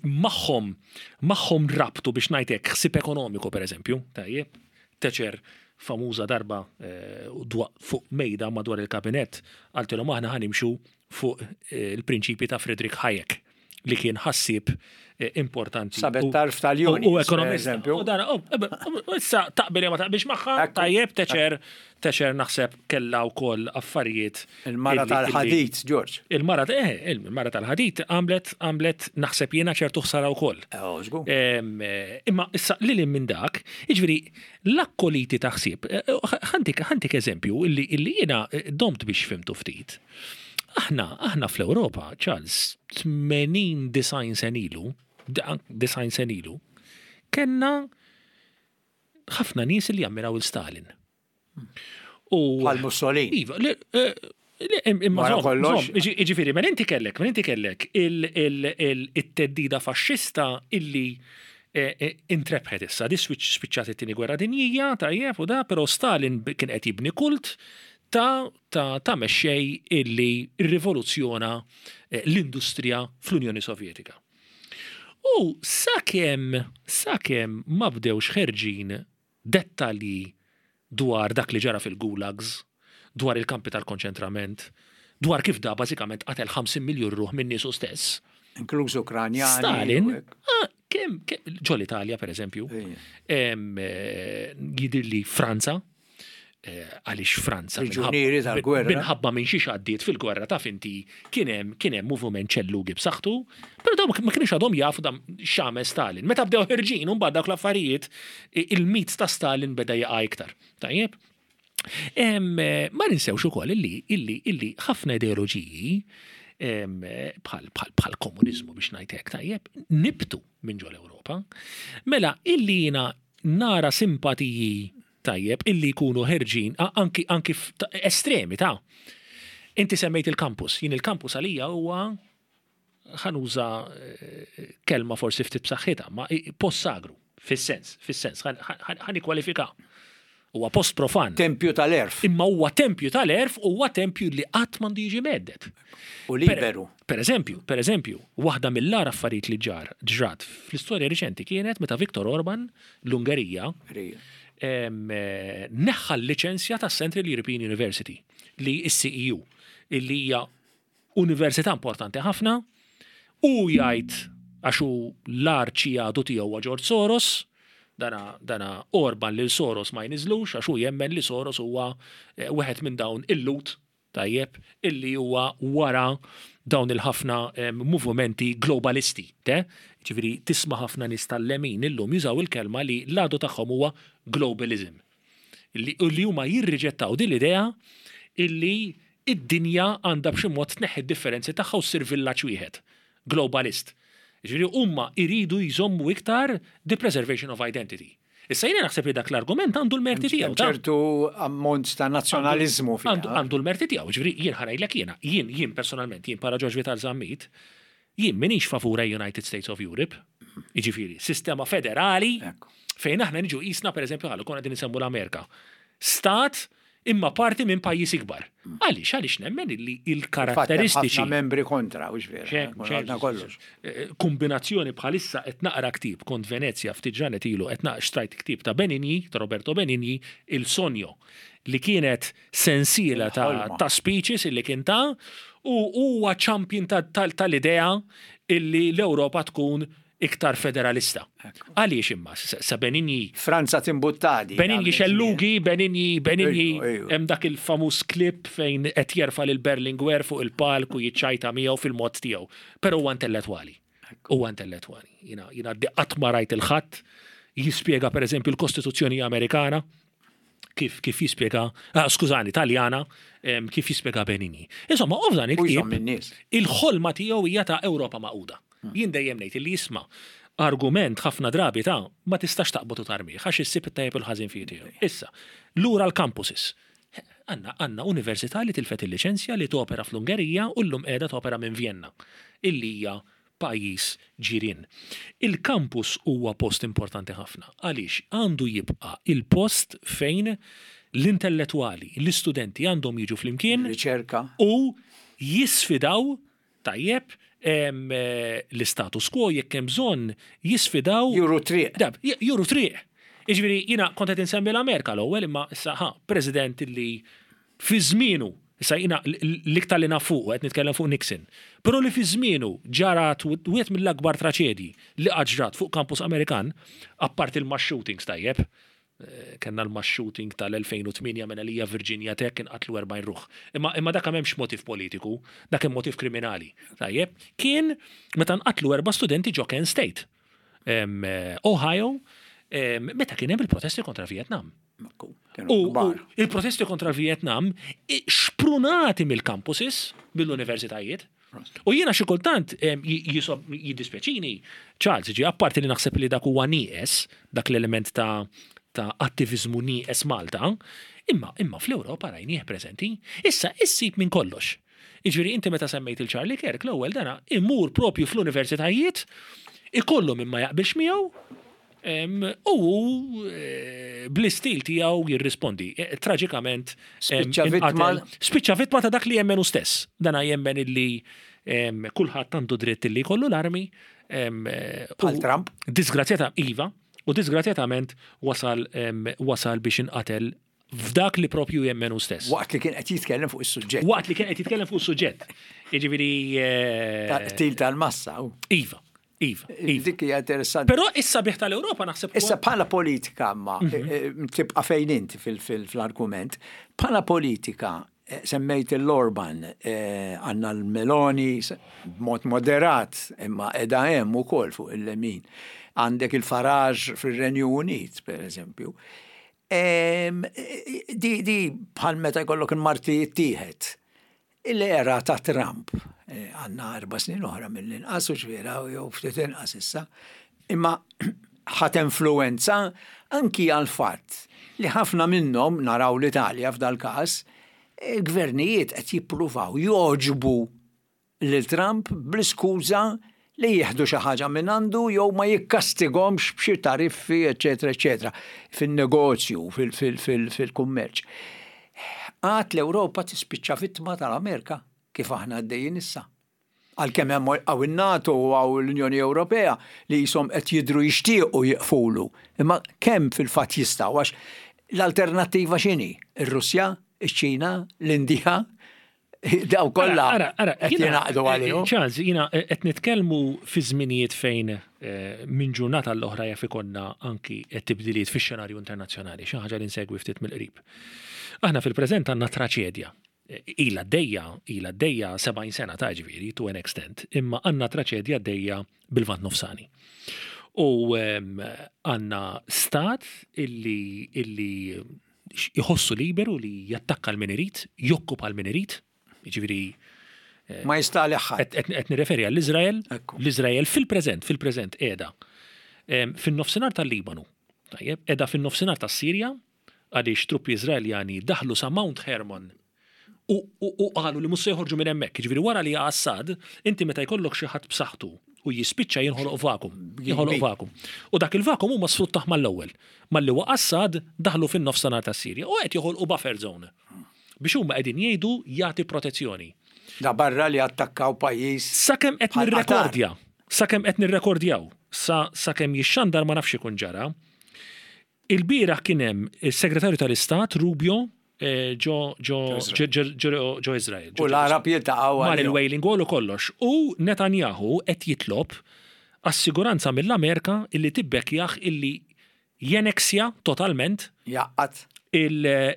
Magħhom magħhom rabtu biex ngħid hekk ħsieb ekonomiku pereżempju, tajjeb. Thatcher famuża darba eh, fuq mejda madwar il-kabinett qaltilhom aħna ħa nimxu fuq eh, il-prinċipji ta' Friedrich Hayek li kien ħassieb eh, importanti. Sabet tarf tal-juni. U ekonomist. U dan, issa taqbel ma taqbilx magħha, tajjeb teċer, teċer naħseb kellha wkoll affarijiet. Il-mara tal-ħadid, George. Il-mara eh, il-mara tal-ħadid għamlet għamlet naħseb jiena ċertu ħsara wkoll. Eh, imma issa lil minn dak, jiġifieri l-akkoliti ta' ħsieb, ħantik ħantik eżempju illi jiena domt biex fimtu ftit. Aħna, aħna fl-Ewropa, Charles, 80 90 sen ilu, 90 sen ilu, kellna ħafna nies li jammiraw il-Stalin. U Bħal Mussolini. Iva, eh, imma kollox. Ġifieri, mela inti kellek, mela inti kellek il-teddida faxxista illi eh, eh, intrebħet issa, di spiċċat it-tieni gwerra dinjija, tajjeb u da, però Stalin kien qed jibni kult ta' ta' ta' mexxej illi rrivoluzzjona l-industrija fl-Unjoni Sovjetika. U sakemm sakemm ma bdewx ħerġin dettalji dwar dak li ġara fil-gulags, dwar il-kampi tal-konċentrament, dwar kif da bażikament qatel 50 miljun ruħ minn niesu stess. Inkluż Ukranjani. Stalin, ah, kemm ġol-Italja pereżempju, eh, jidhirli Franza, Eh, għaliex Franza Priġunieri tal-gwerra. Minħabba minn xiex għaddiet fil-gwerra taf inti kien hemm kien hemm moviment ċellugi b'saħħtu, però dawn ma kienx għadhom jafu dam x'għamel Stalin. Meta bdew ħirġin mbagħad dawk l-affarijiet il-mit ta' Stalin beda jaqa' iktar. Tajjeb? Eh, ma ninsewx ukoll illi illi illi ħafna ideoloġiji bħal bħal komuniżmu biex ngħid hekk tajjeb nibtu minn ġol Ewropa. Mela illi jiena nara simpatiji tajjeb illi jkunu ħerġin anki anki estremi ta' Inti semmejt il-campus, jien il-campus għalija huwa ħa nuża eh, kelma forsi ftit b'saħħitha, ma post sagru, fis-sens, fis-sens, ħa nikkwalifika. Huwa post profan. Tempju tal-erf. Imma huwa tempju tal-erf huwa tempju li qatt m'għandu jiġi medded. U liberu. Per eżempju, per eżempju, waħda mill-agħar affarijiet li ġar ġrat fl-istorja riċenti kienet meta Viktor Orban l-Ungerija neħħa l-liċenzja tas Central European University li s-CEU illi hija università importanti ħafna u jgħid għax hu l-arċi għadu tiegħu huwa George Soros, dana, dana Orban lil Soros ma jniżlux għax hu jemmen li Soros huwa eh, wieħed minn dawn il-lut tajjeb, illi huwa wara dawn il-ħafna movimenti globalisti, te? Ġifieri tisma' ħafna nies tal-lemin illum jużaw il-kelma li l-għadu tagħhom huwa globalism. Li, li huma jirriġettaw din l-idea illi id-dinja għandha b'xi mod tneħħi d-differenzi tagħha u ssir villaġġ wieħed. Globalist. Ġifieri huma jridu jżommu iktar the preservation of identity. Issa jiena naħseb li dak l-argument għandu l-merti tiegħu. Ċertu ammont ta' nazzjonaliżmu fiha. Għandu l-merti tiegħu, ġifieri jien ħa ngħidlek jiena, jien jien personalment, jien bħala George Vital Zammit, jien m'iniex favur a United States of Europe, jiġifieri sistema federali fejn aħna niġu qisna pereżempju ħallu konna qegħdin insemmu l-Amerika. Stat imma parti minn pajjiż ikbar. Għaliex? Għaliex nemmen illi il-karatteristiċi. Ħafna membri kontra, u vera. Għadna kollox. Eh, kombinazzjoni bħalissa qed naqra ktieb kont Venezja ftit ġranet ilu qed naqra xtrajt ktieb ta' Benigni, ta' Roberto Benigni, Il Sogno, li kienet sensiela ta', ta' speeches illi kien ta' u huwa champion tal-idea illi l-Ewropa tkun iktar federalista. Għaliex imma, sa Benigni. Franza timbuttadi. Benigni xellugi, Benigni, Benigni, hemm dak il-famuż clip fejn qed jerfa' lil Berlinguer fuq il-palk u jiċċajta miegħu fil-mod tiegħu. Però huwa intellettwali. Huwa intellettwali. Jiena jiena qatt ma rajt il-ħadd jispjega pereżempju l-Kostituzzjoni Amerikana kif kif jispjega, ah, skużani, Taljana, kif jispjega Benigni. Insomma, u f'dan il-ktieb il-ħolma tiegħu hija ta' Ewropa magħquda. Hmm. Jien dejjem ngħid li jisma' argument ħafna drabi ta' ma tistax taqbad u tarmih għax issib it-tajjeb u l-ħażin fih tiegħu. Issa, lura l-campuses. Għandna għandna università li tilfet il-liċenzja li topera fl-Ungerija u llum qiegħda topera minn Vienna, illi hija pajjiż ġirien. Il-campus huwa post importanti ħafna għaliex għandu jibqa' il-post fejn L-intellettwali, l-istudenti għandhom jiġu flimkien. Riċerka. U jisfidaw, tajjeb, l-istatus quo jekk hemm bżonn jisfidaw. Juru triq. Juru triq. Jiġifieri jiena kont qed insemmi l-Amerika l-ewwel imma issa ħa President li fi żmienu, issa jiena l-iktar li naf fuqu qed nitkellem fuq Nixon, però li fi żmienu ġarat wieħed mill-akbar traċedji li qatt ġrat fuq campus Amerikan, apparti l-mass shootings tajjeb, Kellna l-mass shooting tal-2008 minn għalija Virginia Tech inqatlu 40 ruħ. Imma imma dak m'hemmx motiv politiku, dak hemm motiv kriminali. Tajjeb, kien meta nqatlu erba' studenti ġo Kent State, Ohio, meta kien hemm il-protesti kontra Vietnam. U il-protesti kontra l-Vietnam xprunati mill-campuses, mill-universitajiet. U jiena xi kultant jiddispjaċini, Charles, ġi apparti li naħseb li dak huwa nieqes, dak l-element ta' ta' attiviżmu nieqes Malta, imma imma fl-Ewropa rajnieh preżenti. Issa issib minn kollox. Jiġifieri inti meta semmejt il Charlie Kirk l-ewwel dana imur propju fl-universitajiet, ikollu min ma jaqbilx miegħu, U hu bl-istil tiegħu jirrispondi. Traġikament spiċċa vittma spiċċa vittma ta' dak li jemmen hu stess. Dana jemmen illi kulħadd għandu dritt illi jkollu l-armi. Bħal Trump. Disgrazzjata iva, u disgrazzjatament wasal wasal biex inqatel f'dak li propju jemmen hu stess. Waqt li kien qed jitkellem fuq is-suġġett. Waqt li kien qed jitkellem fuq is-suġġett. Jiġifieri. Qtil tal-massa. Iva. Iva, iva. Dik hija interessanti. Però issa bih tal-Ewropa naħseb. Issa bħala politika ma tibqa' fejn int fil-argument. Bħala politika semmejt l-Orban, għandna l-Meloni b'mod moderat imma qiegħda hemm ukoll fuq il-lemin. Għandek il-Farage fir-Renju Unit, per eżempju. Di di bħal meta jkollok il-marti jittieħed. L-era ta' Trump, għandna erba' snin oħra mill-inqas u ġviera jew ftit inqas issa, imma ħat influenza anki għal fatt li ħafna minnhom naraw l-Italja f'dal-każ, il-gvernijiet qed jippruvaw jogħġbu lil Trump bl-iskuża li jieħdu xi ħaġa mingħandu jew ma jikkastigomx b'xi tariffi eċċetera eċċetera fin-negozju, fil-kummerċ. Għad l-Ewropa tispiċċa vittma tal-Amerika kif aħna għaddejjin issa. Għalkemm hemm hawn in-NATO u hawn l-Unjoni Ewropea li qishom qed jidhru jixtiequ jieqfulu. Imma kemm fil-fatt jistgħu għax l-alternattiva x'inhi? Ir-Russja? Iċ-Ċina? L-Indja? Daw kollha qed jingħaqdu għalihom. Charles, jiena qed nitkellmu fi żminijiet fejn minn ġurnata għall-oħra jaf ikollna anki tibdiliet fix-xenarju internazzjonali, xi ħaġa li nsegwi ftit mill-qrib. Aħna fil-preżent għandna traċedja. Ilha għaddejja, ilha għaddejja 70 sena ta' ġifieri, to an extent, imma għandna traċedja għaddejja bil-Lvant Nofsani. U għandna stat illi illi jħossu liberu li jattakka l min irid, jokkupa l min irid, jiġifieri eh, Ma jista' ħadd. Qed nirreferi għall-Iżrael, l-Iżrael fil-preżent, fil-preżent qiegħda fin-nofsinhar tal-Libanu. Tajjeb, qiegħda fin-nofsinhar tas-Sirja għaliex truppi Iżraeljani daħlu sa Mount Hermon U, u, u qalu li mhux se joħorġu minn hemmhekk. Jiġifieri wara li jaqa' Assad, inti meta jkollok xi ħadd b'saħħtu u jispiċċa jinħoloq vakum. Jinħoloq vakum. U dak il-vakum huma sfruttah mal-ewwel. Malli waqa' Assad, daħlu fin-nofsinhar tas-Sirja u qed joħolqu buffer zone. Biex huma qegħdin jgħidu jagħti protezzjoni. Da barra li attakkaw pajjiż. Sakemm qed nirrekordja, sakemm qed nirrekordjaw, sa sakemm jixxandar ma nafx ikun ġara. Ilbieraħ kien hemm is-Segretarju tal-Istat Rubio ġo ġo ġo Iżrael. U l-Għarab jiltaqgħu Mar il-Wailing Wall u kollox. U Netanyahu qed jitlob assiguranza mill-Amerika illi tibbekkjah illi jeneksja totalment Jgħaqqad.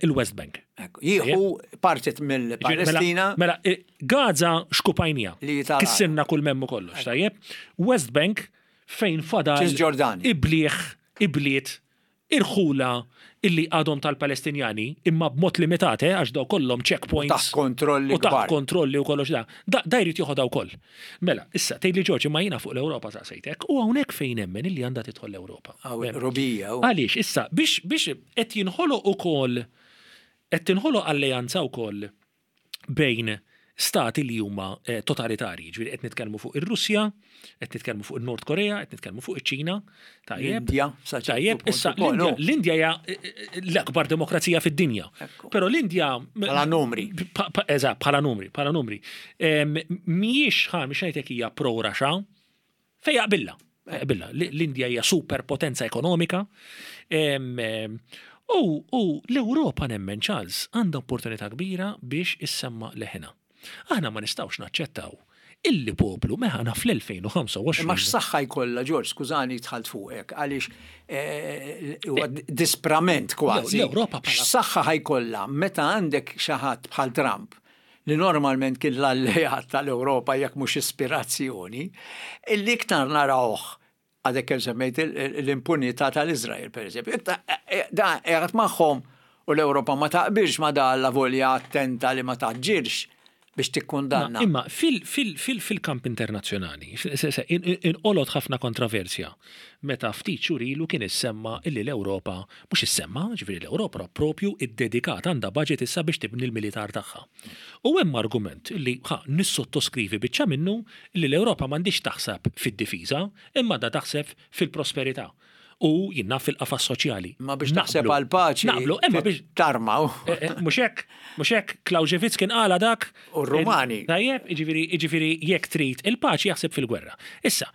il-West Bank. Jieħu parti mill-Palestina. Mela, Gaza xkupajnija. Kissirna kull m'hemm u kollox, tajjeb? West Bank fejn fadal ibliħ ibliet, irħula illi għadhom tal-Palestinjani, imma b'mod limitat, eh, għax daw kollhom checkpoints. U taħt kontrolli U taħt kontrolli u kollox da. Da, da jrid joħodha wkoll. Mela, issa, tgħidli Ġorġ, imma jiena fuq l-Ewropa saqsejtek, u hawnhekk fejn nemmen illi għandha tidħol l-Ewropa. Rubija. Għaliex, issa, biex, biex qed jinħoloq ukoll, qed tinħoloq alleanza wkoll bejn stati li huma eh, totalitarji, ġifieri qed nitkellmu fuq ir-Russja, qed nitkellmu fuq in-Nord Korea, qed nitkellmu fuq iċ-Ċina, tajjeb. L-Indja, sa ċertu Tajjeb, punt issa ukoll, l-Indja no? l-Indja hija eh, eh, l-akbar demokrazija fid-dinja. Ekku. Però l-Indja Bħala numri. Eżatt, bħala numri, bħala numri. Mhijiex ħa mhix ngħidlek hija pro-Russia, fejn jaqbilla. Jaqbilla. L-Indja hija superpotenza ekonomika. U u l-Ewropa nemmen Charles għandha opportunità kbira biex issemma leħinha. Aħna ma nistgħux naċċettaw illi poplu meħana fl-2025. Imma x'saħħa jkollha, Ġorġ, skużani dħalt fuqek, għaliex huwa disprament kważi. L-Ewropa bħala. X'saħħa ħa jkollha meta għandek xi ħadd bħal Trump li normalment kien l-alleat tal-Ewropa jekk mhux ispirazzjoni, illi iktar narawh għadek kemm semmejt l-impunità tal-Iżrael, per eżempju. Da qiegħed magħhom u l-Ewropa ma taqbilx ma da alla volja attenta li ma taġġilx biex tikkundanna. Imma fil-kamp internazzjonali, inqolgħot ħafna kontroversja meta ftit xhur ilu kien issemma illi l-Ewropa, mhux issemma, ġifieri l-Ewropa propju iddedikat għandha budget issa biex tibni l-militar tagħha. U hemm argument li ħa nissottoskrivi biċċa minnu li l-Ewropa m'għandhiex taħseb fid-difiża, imma għandha taħseb fil-prosperità u jien naf fil-qafas soċjali. Imma biex taħseb għall-paċi Naqblu, imma biex tarmaw. Eh, eh, mhux hekk, mhux hekk, Clausewitz kien qala dak. U r-Rumani. Tajjeb, jiġifieri, jiġifieri jekk trid il-paċi jaħseb fil-gwerra. Issa,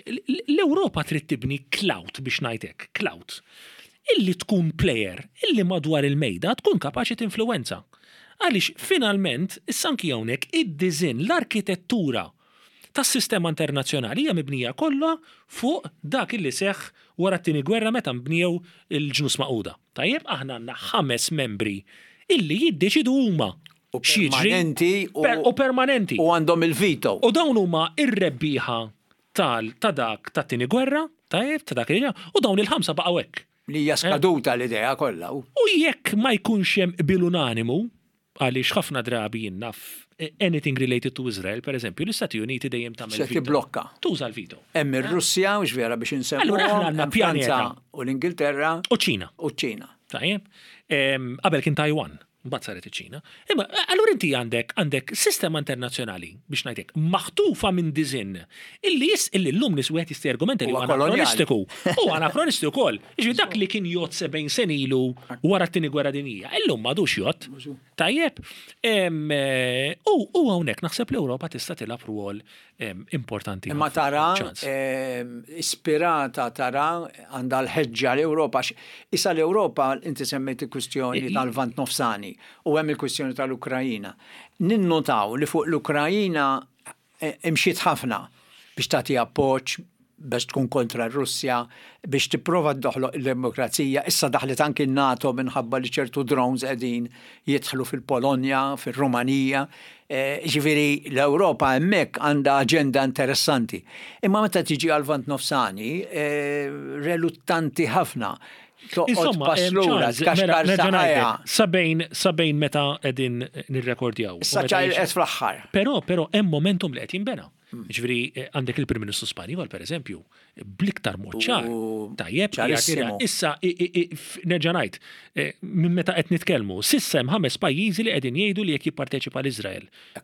l-Ewropa trid tibni clout biex ngħid hekk, clout. Illi tkun player, illi madwar il-mejda tkun kapaċi tinfluwenza. Għaliex finalment, issa anki hawnhekk id-disinn, l-arkitettura tas-sistema internazzjonali hija mibnija kollha fuq dak illi seħħ wara t-Tieni Gwerra meta nbnew il-Ġnus Magħquda. Tajjeb, aħna għandna ħames membri illi jiddeċidu huma U x'jiġri. permanenti u U permanenti. U għandhom il-veto. U dawn huma r-rebbieħa tal ta' dak tat-Tieni Gwerra, tajjeb, ta' dak li u dawn il-ħamsa baqgħu hekk. Li hija skaduta l-idea kollha. U jekk ma jkunx hemm qbil unanimu, għaliex ħafna drabi jien naf anything related to Israel, per eżempju, l-Istati Uniti dejjem tagħmel Se tibblokka. Tuża l-veto. Hemm ir-Russja, mhux vera biex insemmuhom. Allura aħna għandna pjaneta. U l-Ingilterra. U ċ-Ċina. U ċ-Ċina. Tajjeb. Qabel kien Taiwan. Mbagħad saret iċ-Ċina. Imma allura inti għandek għandek sistema internazzjonali biex ngħidlek maħtufa minn diżinn illi jis illi llum nies wieħed jista' jargumenta li huwa anakronistiku. U anakronistiku wkoll. Jiġifieri dak li kien jgħodd 70 sena ilu wara t-tieni gwerra dinjija, illum m'għadux jgħodd. Tajjeb. U hawnhekk naħseb l-Ewropa tista' tilgħab rwol importanti. Imma tara, ispirata tara għandha l-ħeġġa l-Ewropa. Issa l-Ewropa, inti semmejt il-kwistjoni tal-Lvant Nofsani u hemm il-kwistjoni tal-Ukrajina. Ninnotaw li fuq l-Ukrajina eh, imxiet ħafna biex tagħti appoġġ, biex tkun kontra r-Russja, biex tipprova toħloq il-demokrazija. Issa daħlet anki n-NATO minħabba li ċertu drones qegħdin jidħlu fil-Polonja, fir-Rumanija. Eh, ġifieri l-Ewropa hemmhekk għandha aġenda interessanti. Imma meta tiġi għal-Lvant Nofsani, eh, reluttanti ħafna. Toqgħod pass lura, mela, tkaxkar saqajha. Sabejn, sabejn meta qegħdin nirrekordjaw. Issa ċajlqet fl-aħħar. Però, però hemm momentum li qed jinbena. Ġifieri eh, għandek il-Prim Ministru Spanjol, per eżempju, bl-iktar mod ċar. Tajjeb, issa nerġa' ngħid, eh, minn meta qed nitkellmu, s'issa hemm ħames pajjiżi li qegħdin jgħidu li jekk jipparteċipa l-Iżrael eh,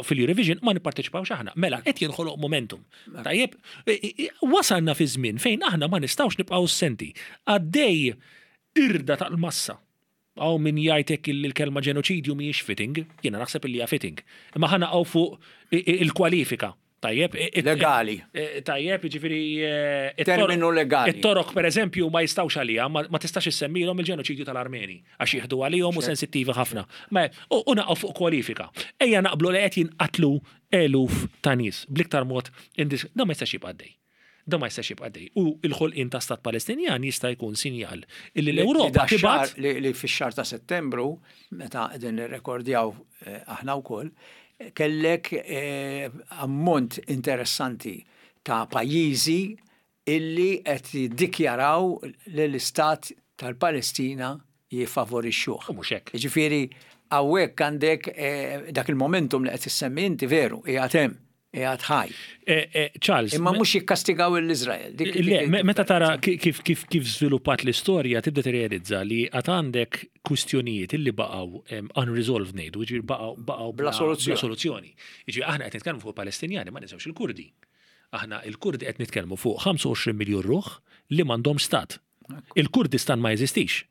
fil-Eurovision ma nipparteċipawx aħna. Mela qed jinħoloq momentum. Tajjeb, wasalna fi żmien fejn aħna ma nistgħux nibqgħu senti. Għaddej irda tal-massa Hawn min jgħid hekk illi l-kelma ġenoċidju mhijiex fitting, jiena naħseb illi hija fitting. Imma ħa naqgħu fuq il-kwalifika. Tajjeb? Legali. Tajjeb, jiġifieri. Terminu legali. It-Torok, pereżempju, ma jistgħux għaliha, ma tistax issemmilhom il-ġenoċidju tal-Armeni, għax jieħdu għalihom u sensittivi ħafna. U naqgħu fuq kwalifika. Ejja naqblu li qed jinqatlu eluf ta' nies bl-iktar mod indis. Dan ma jistax jibqa' għaddej. Dan ma jistax jibqa' għaddej. U l-ħolqien ta' stat Palestinjan jista' jkun sinjal illi l-Ewropa tibgħat. Li fix-xahar ta' Settembru, meta qegħdin nirrekordjaw eh, aħna wkoll, kellek eh, ammont interessanti ta' pajjiżi illi qed jiddikjaraw li l-istat tal-Palestina jiffavorixxuh. U mhux hekk. Jiġifieri hawnhekk għandek eh, dak il-momentum li qed issemmi inti veru, qiegħed hemm. qiegħed ħaj. Eh, eh, Charles. Imma mhux jikkastigaw l-Iżrael. Le, meta tara kif kif kif żviluppat l-istorja tibda tirrealizza li għad għandek kwistjonijiet illi baqgħu unresolved ngħidu, jiġifieri baqgħu baqgħu bla soluzzjoni. soluzzjoni. Jiġifieri aħna qed nitkellmu fuq Palestinjani ma ninsewx il-Kurdi. Aħna il-Kurdi qed nitkellmu fuq 25 miljun ruħ li m'għandhom stat. Il-Kurdistan ma jeżistix.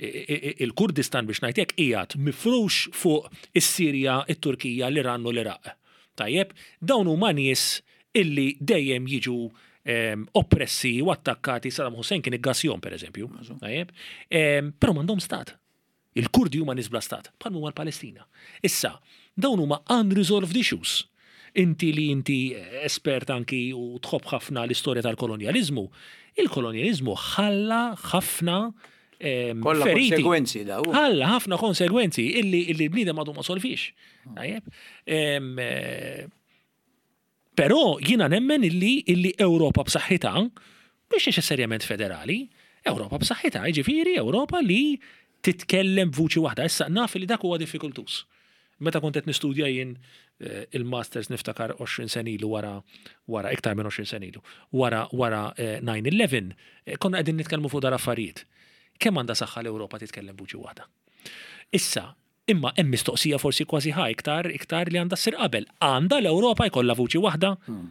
Il-Kurdistan biex ngħid hekk qiegħed mifrux fuq is-Sirja, it-Turkija, l-Iran u l-Iraq. Tajjeb, dawn huma nies illi dejjem jiġu ehm, oppressi u attakkati Saddam Hussein kien iggassjhom pereżempju. Tajjeb, ehm, però m'għandhom stat. Il-Kurdi huma nies bla stat, bħal huma l-Palestina. Issa, dawn huma unresolved issues. Inti li inti espert anki u tħobb ħafna l-istorja tal-kolonjaliżmu, il-kolonjaliżmu ħalla ħafna ehm, Kollha konsegwenzi daw. Ħalla ħafna konsegwenzi illi illi l-bniedem għadu ma solvix. Tajjeb. Ehm, eh, Però jiena nemmen illi illi Ewropa b'saħħitha, mhux neċessarjament federali, Ewropa b'saħħitha, jiġifieri Ewropa li titkellem b'vuċi waħda. Issa naf li dak huwa diffikultuż. Meta kont qed nistudja jien eh, il-masters niftakar 20 sena ilu wara wara iktar minn 20 sena ilu, wara wara 9/11, eh, eh, konna qegħdin nitkellmu fuq dal-affarijiet. Kemm għandha saħħa l-Ewropa titkellem b'vuċi waħda? Issa, Imma hemm mistoqsija forsi kważi ħa iktar iktar li għandha ssir qabel. Għandha l-Ewropa jkollha vuċi waħda? Hmm.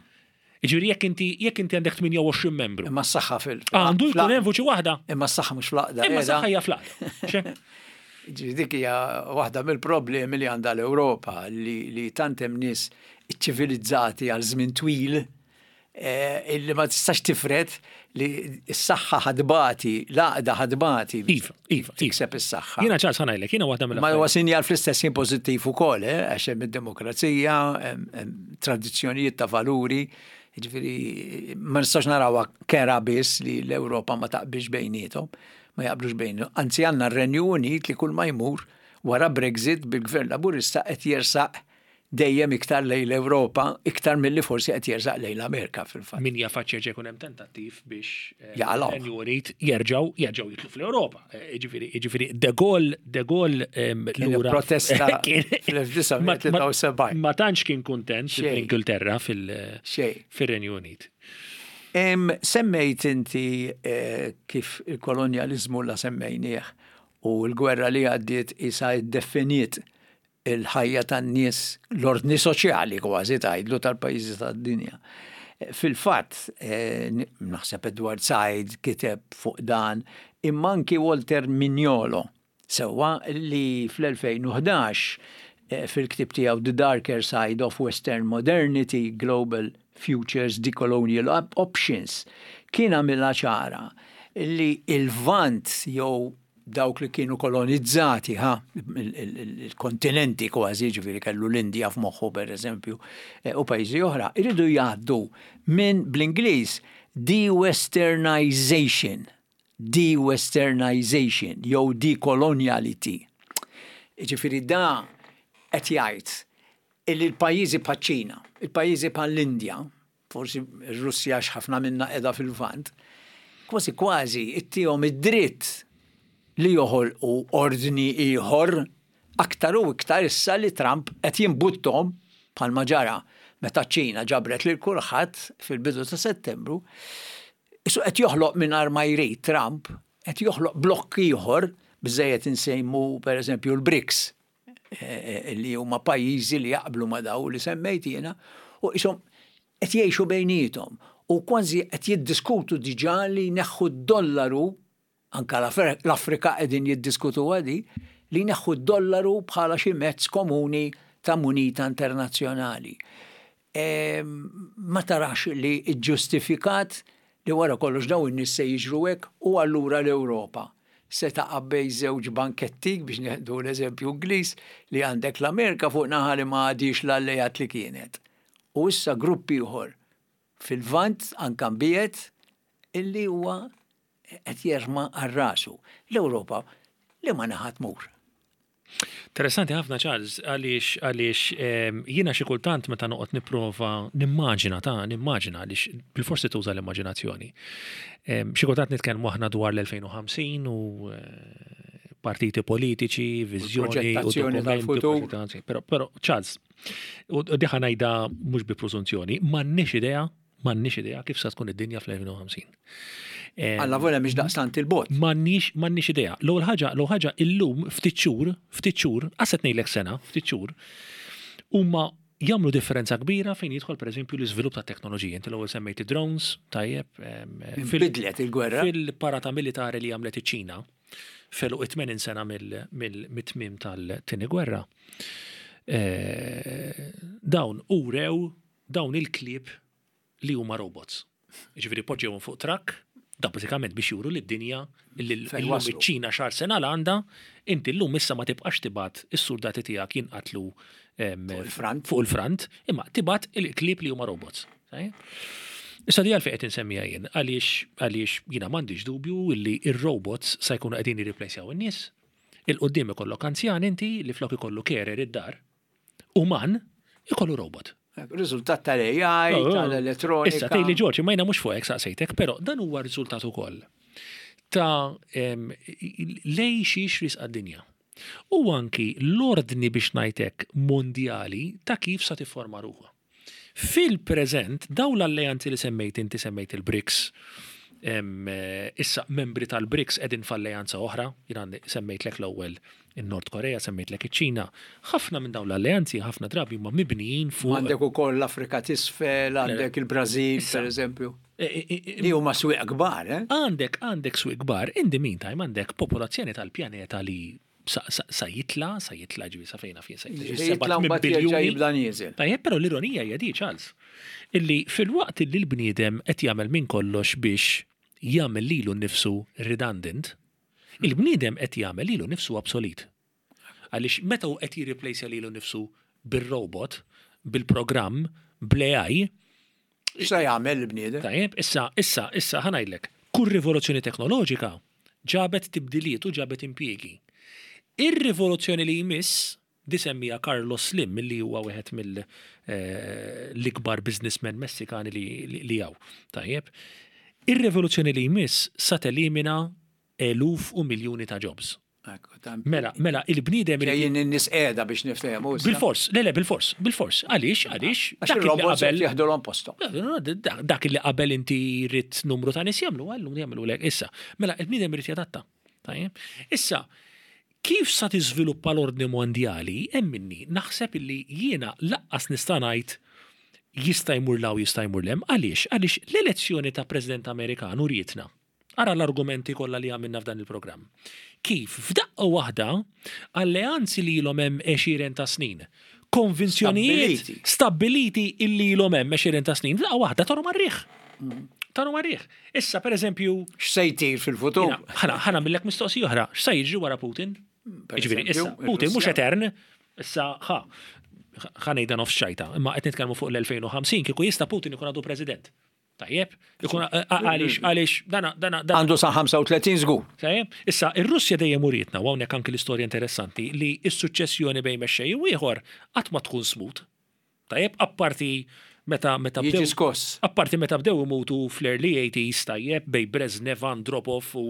Jiġifieri jekk inti jekk inti għandek 28 membru. Imma s-saħħa fil. Għandu jkun hemm vuċi waħda. Imma s-saħħa mhux fl-għaqda. Imma s-saħħa hija fl-għaqda. Ġifieri dik hija waħda mill-problemi li għandha l-Ewropa li, li tant hemm nies iċċivilizzati għal żmien twil Eh, illi ma tistax tifred li s-saħħa ħadbati, l-għaqda ħadbati. Iva, iva, tikseb is-saħħa. Jiena ċars ħanajlek, jiena waħda mill Ma huwa sinjal fl-istess ħin pożittiv ukoll, eh, għax hemm id-demokrazija, tradizzjonijiet ta' valuri, ġifieri ma nistax narawha kera biss li l-Ewropa ma taqbilx bejniethom, ma jaqblux bejniethom. Anzi għandna r-Renju Unit li kull ma jmur wara Brexit bil-Gvern Laburista qed jersaq dejjem iktar lejn l-Ewropa, iktar milli forsi qed jersaq lejn l-Amerika fil-fatt. Min jaf għad jerġa' jkun hemm tentattiv biex eh, Jaqalgħu. Renju Unit jerġgħu jerġgħu jidħlu fl-Ewropa. Eh, Jiġifieri jiġifieri De Gaulle De Gaulle em, Kien lura protesta kien- fl-1973. Ma tantx kien kuntent Xejn. fl-Ingilterra fil- Xejn. fir-Renju Unit. Em, Semmejt inti eh, kif il-kolonjalizmu la semmejnieh u l-gwerra li għaddiet isa iddefiniet il-ħajja tan-nies, l-ordni soċjali kważi tgħidlu tal-pajjiżi tad-dinja. Fil-fatt, eh, naħseb Edward Said kiteb fuq dan, imma anki Walter Mignolo, sewwa li fl-2011 eh, fil-ktib tiegħu The Darker Side of Western Modernity, Global Futures Decolonial Options, kien għamilha ċara li il-Lvant jew dawk li kienu kolonizzati, ha, il-kontinenti kważi, ġifieri kellu l-Indja f'moħħu per eżempju, eh, u pajjiżi oħra, iridu jgħaddu minn bl-Ingliż de-westernization, de-westernization jew decoloniality. Ġifieri da qed jgħid illi l-pajjiżi bħaċ-Ċina, il-pajjiżi bħall-Indja, forsi r-Russja għax ħafna minna qiegħda fil-Lvant, kważi kważi ittihom id-dritt li joħolqu ordni ieħor aktar u iktar issa li Trump qed jimbuttom bħalma ġara meta ċ-Ċina ġabret lil kulħadd fil-bidu ta' Settembru. Isu qed joħloq mingħajr ma jrid Trump, qed joħloq blokk ieħor biżejjed insejmu pereżempju l-BRICS Eh, li huma pajjiżi li jaqblu ma' daw li semmejt jiena u qishom qed jgħixu bejniethom u kważi qed jiddiskutu diġà li jneħħu d-dollaru anka l-Afrika qegħdin jiddiskutu għadi li jneħħu d-dollaru bħala xi mezz komuni ta' munita internazzjonali. Ehm, ma tarax li ġġustifikat li wara kollox dawn in-nies se jiġru hekk u allura l-Ewropa se taqa' bejn żewġ banketti, biex nieħdu l-eżempju Ingliż, li għandek l-Amerika fuq naħa li ma għadhiex l-alleat li kienet. U issa grupp ieħor fil-Lvant anke mbiegħed illi huwa qed jerma' għal rasu. L-Ewropa liema naħa tmur? Interessanti ħafna Charles, għaliex għaliex ehm, jiena xi kultant meta noqgħod nipprova nimmaġina ta' nimmaġina għaliex bil-forsi tuża l-immaġinazzjoni. Ehm, xi kultant nitkellmu aħna dwar l-2050 u eh, Partiti politiċi, viżjoni u dokumenti. Però, però, Charles, u diħa ngħidha mhux bi preżunzjoni, m'għandniex idea, m'għandniex idea kif sa tkun id-dinja fl-2050. Alla volja mhix daqstant il-bot. M'għandniex m'għandniex idea. L-ewwel ħaġa, l-ewwel ħaġa illum ftit xhur, ftit xhur, qas qed ngħidlek sena, ftit xhur, huma jagħmlu differenza kbira fejn jidħol pereżempju l-iżvilupp ta' teknoloġija. Inti l-ewwel semmejt drones, tajjeb. Bidlet il-gwerra. Fil-parata militari li għamlet iċ-Ċina f'għeluq it-80 sena mit-tmiem tal-Tieni Gwerra, dawn urew dawn il-klieb li huma robots. Jiġifieri poġġewhom fuq trakk, da bażikament biex juru lid-dinja li llum iċ-Ċina x'arsenal għandha, inti llum issa ma tibqax tibgħat is-surdati tiegħek jinqatlu fuq il-front, imma tibgħat il-klieb li huma robots. Issa di għalfejn qed insemmiha jien, għaliex għaliex jiena m'għandix dubju li r-robots sa jkunu qegħdin jirriplejsjaw in-nies. Il-quddiem ikollok anzjan inti li flok ikollu carer id-dar, uman, ikollu robot. Riżultat tal-AI, oh, oh. tal-elettronika. Issa tgħidli Ġorġ, imma jiena mhux fuq hekk saqsejtek, però dan huwa riżultat ukoll ta' lej xiex risqa d-dinja. U anki l-ordni biex ngħidlek mondjali ta' kif sa tifforma ruħha. Fil-preżent, dawn l-alleanzi li semmejt inti semmejt il-BRICS, issa membri tal-BRICS qegħdin f'alleanza oħra, jiena semmejtlek l-ewwel in-Nord Korea, semmejtlek iċ-Ċina. Ħafna minn dawn l-alleanzi ħafna drabi huma mibnijin fuq. Għandek ukoll l-Afrika t'Isfel, għandek il-Brażil, pereżempju. Li huma swieq kbar, eh? Għandek għandek swieq kbar, in the meantime għandek popolazzjoni tal-pjaneta li sa jitla, sa jitla ġivi sa fejna fien sa jitla. Jitla mbagħad jerġa' jibda nieżel. Tajjeb, però l-ironija hija di, Charles, illi filwaqt li l-bniedem qed jagħmel minn kollox biex jagħmel lilu nnifsu redundant, il-bniedem qed jagħmel lilu nnifsu obsolete. Għaliex meta hu qed jirriplejsja lilu nnifsu bir-robot, bil-programm, bl-AI, X'sa jagħmel il-bniedem? Tajjeb, issa, issa, issa ħa ngħidlek, kull rivoluzzjoni teknoloġika ġabet tibdiliet u ġabet impjiegi. Ir-rivoluzzjoni li jmiss, di semmiha Carlos Slim li huwa wieħed mill-ikbar businessmen Messikani li hawn. Tajjeb, ir-rivoluzzjoni li jmiss sa telimina eluf u miljuni ta' jobs. Mela, mela, il-bniedem. Ġejjin in-nies qiegħda biex niftehmu. Bilfors, le le bilfors, bilfors. Għaliex, għaliex. Għax il-robots qabel jeħdulhom posthom. Dak li qabel inti ridt numru ta' nies jagħmlu, għallum jagħmlu lek issa. Mela, il-bniedem irid jadatta. Tajjeb. Issa, kif sa tiżviluppa l-ordni mondjali, emminni, naħseb illi jiena laqqas nista' ngħid jista' jmur 'l hawn jista' jmur 'l hemm. Għaliex? Għaliex l-elezzjoni ta' President Amerikan urietna Ara l-argumenti kollha li għamilna f'dan il-programm. Kif f'daqqa waħda alleanzi li ilhom hemm għexieren ta' snin, konvinzjonijiet stabbiliti illi ilhom hemm għexieren ta' snin, f'daqqa waħda taru mar-riħ. Taru mar-riħ. Issa pereżempju. X'se jtir fil-futur? Ħa nagħmillek mistoqsija oħra, x'se jiġri wara Putin? Jiġifieri issa Putin mhux etern, issa ħa ħa ngħidha nofs ċajta, imma qed nitkellmu fuq l-2050 kieku jista' Putin ikun għadu President. Tajjeb, ikun għaliex għaliex dana dana għandu sa 35 żgur. Tajjeb, issa ir-Russja dejjem urietna u hawnhekk anki l-istorja interessanti li s-suċċessjoni bejn mexxej u ieħor qatt ma tkun smooth. Tajjeb, apparti meta meta bdew skoss. Apparti meta bdew imutu fl-early 80s tajjeb bejn Brezhnev, Andropov u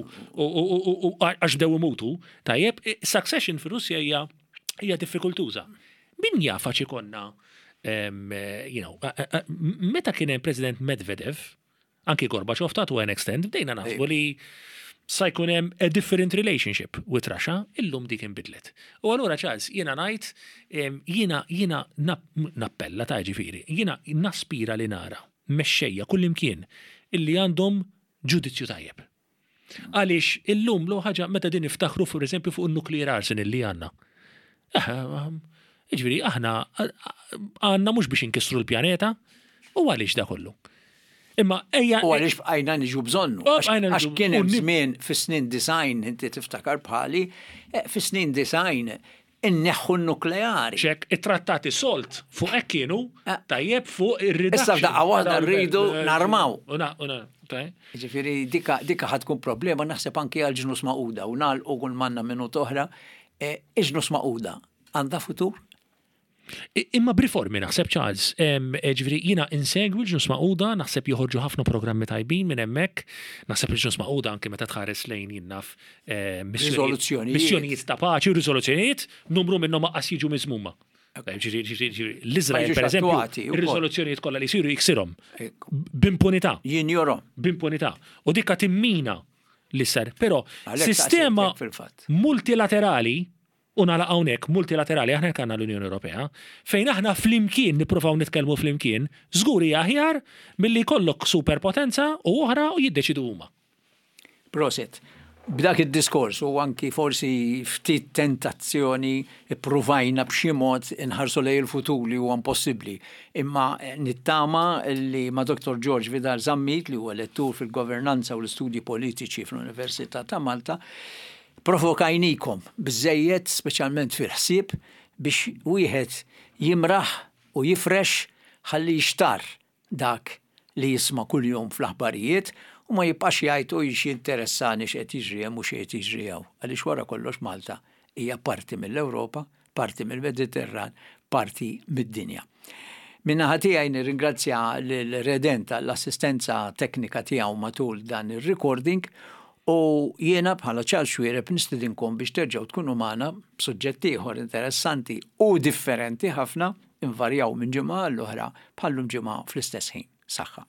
għax bdew imutu, tajjeb, succession fir-Russja hija hija diffikultuża. Min jaf għax ikollna, you know, meta kien hemm President Medvedev, anki Gorbachev ta' to an extent, bdejna naħsbu li sa jkun hemm a different relationship with Russia, illum dik inbidlet. U allura Charles, jiena ngħid, jiena jiena nappella ta' ġifieri, jiena naspira li nara mexxejja kullimkien illi għandhom ġudizzju tajjeb. Għaliex illum l ħaġa meta din niftaħru for eżempju fuq in-nuclear arsenal li għandna. Eh, jiġifieri aħna għandna mhux biex inkissru l-pjaneta u għaliex da kollu. Imma ejja. U għaliex bqajna niġu bżonnu. Għax kien hemm żmien fis-snin design inti tiftakar bħali, eh, fis-snin design inneħħu n-nukleari. Ċek, it-trattati SALT fuq hekk kienu, eh. tajjeb fuq ir-reduction. Issa f'daqqa waħda rridu narmaw. Ġifieri dika dika ħad tkun problema naħseb anki għal ġnus maquda u nagħlqu kull manna minut oħra. Eh, iġnus maquda għandha futur? Imma b'riformi naħseb Charles, ġifieri jiena insegwi l-Ġnus Magħquda, naħseb joħorġu ħafna programmi tajbin minn hemmhekk, naħseb il-Ġnus Magħquda anke meta tħares lejn jien naf missjonijiet ta' paċi u riżoluzzjonijiet, numru minnhom aqqas jiġu miżmuma. L-Iżrael, per eżempju, ir-riżoluzzjonijiet kollha li jsiru jiksirhom b'impunità. Jinjorhom. B'impunità. U dikka timmina li sar. Però sistema multilaterali U nagħlaq hawnhekk, multilaterali, aħna hekk għandna l-Unjoni Ewropea, fejn aħna flimkien nippruvaw nitkellmu flimkien, żgur hija aħjar milli jkollok superpotenza u oħra u jiddeċiedu huma. Prosit. B'dak id-diskors u anki forsi ftit tentazzjoni ippruvajna b'xi mod inħarsu lejn il-futur li huwa impossibbli. Imma nittama li ma' Dottor George Vidal Zammit li huwa lettur fil-Governanza u l-Istudji Politiċi fl-Università ta' Malta, Provokajnikom biżżejjed, speċjalment fil-ħsieb, biex wieħed jimraħ u jifrex ħalli jixtarr dak li jisma' kuljum fl-aħbarijiet u ma jibqax jgħid ui x'jinteressani x'qed jiġri hemm u x'qiegħed jiġri hawn għaliex wara kollox Malta hija parti mill-Ewropa, parti mill-Mediterran, parti mid-dinja. Min-naħa tiegħi nirringrazzja lil Redent għall-assistenza teknika tiegħu matul dan ir-recording u jiena bħala Charles Xuereb nistidinkom biex terġgħu tkunu magħna b'suġġett ieħor interessanti u differenti ħafna, invarjaw minn ġimgħa għall-oħra bħal-lum ġimgħa fl-istess ħin. Saħħa.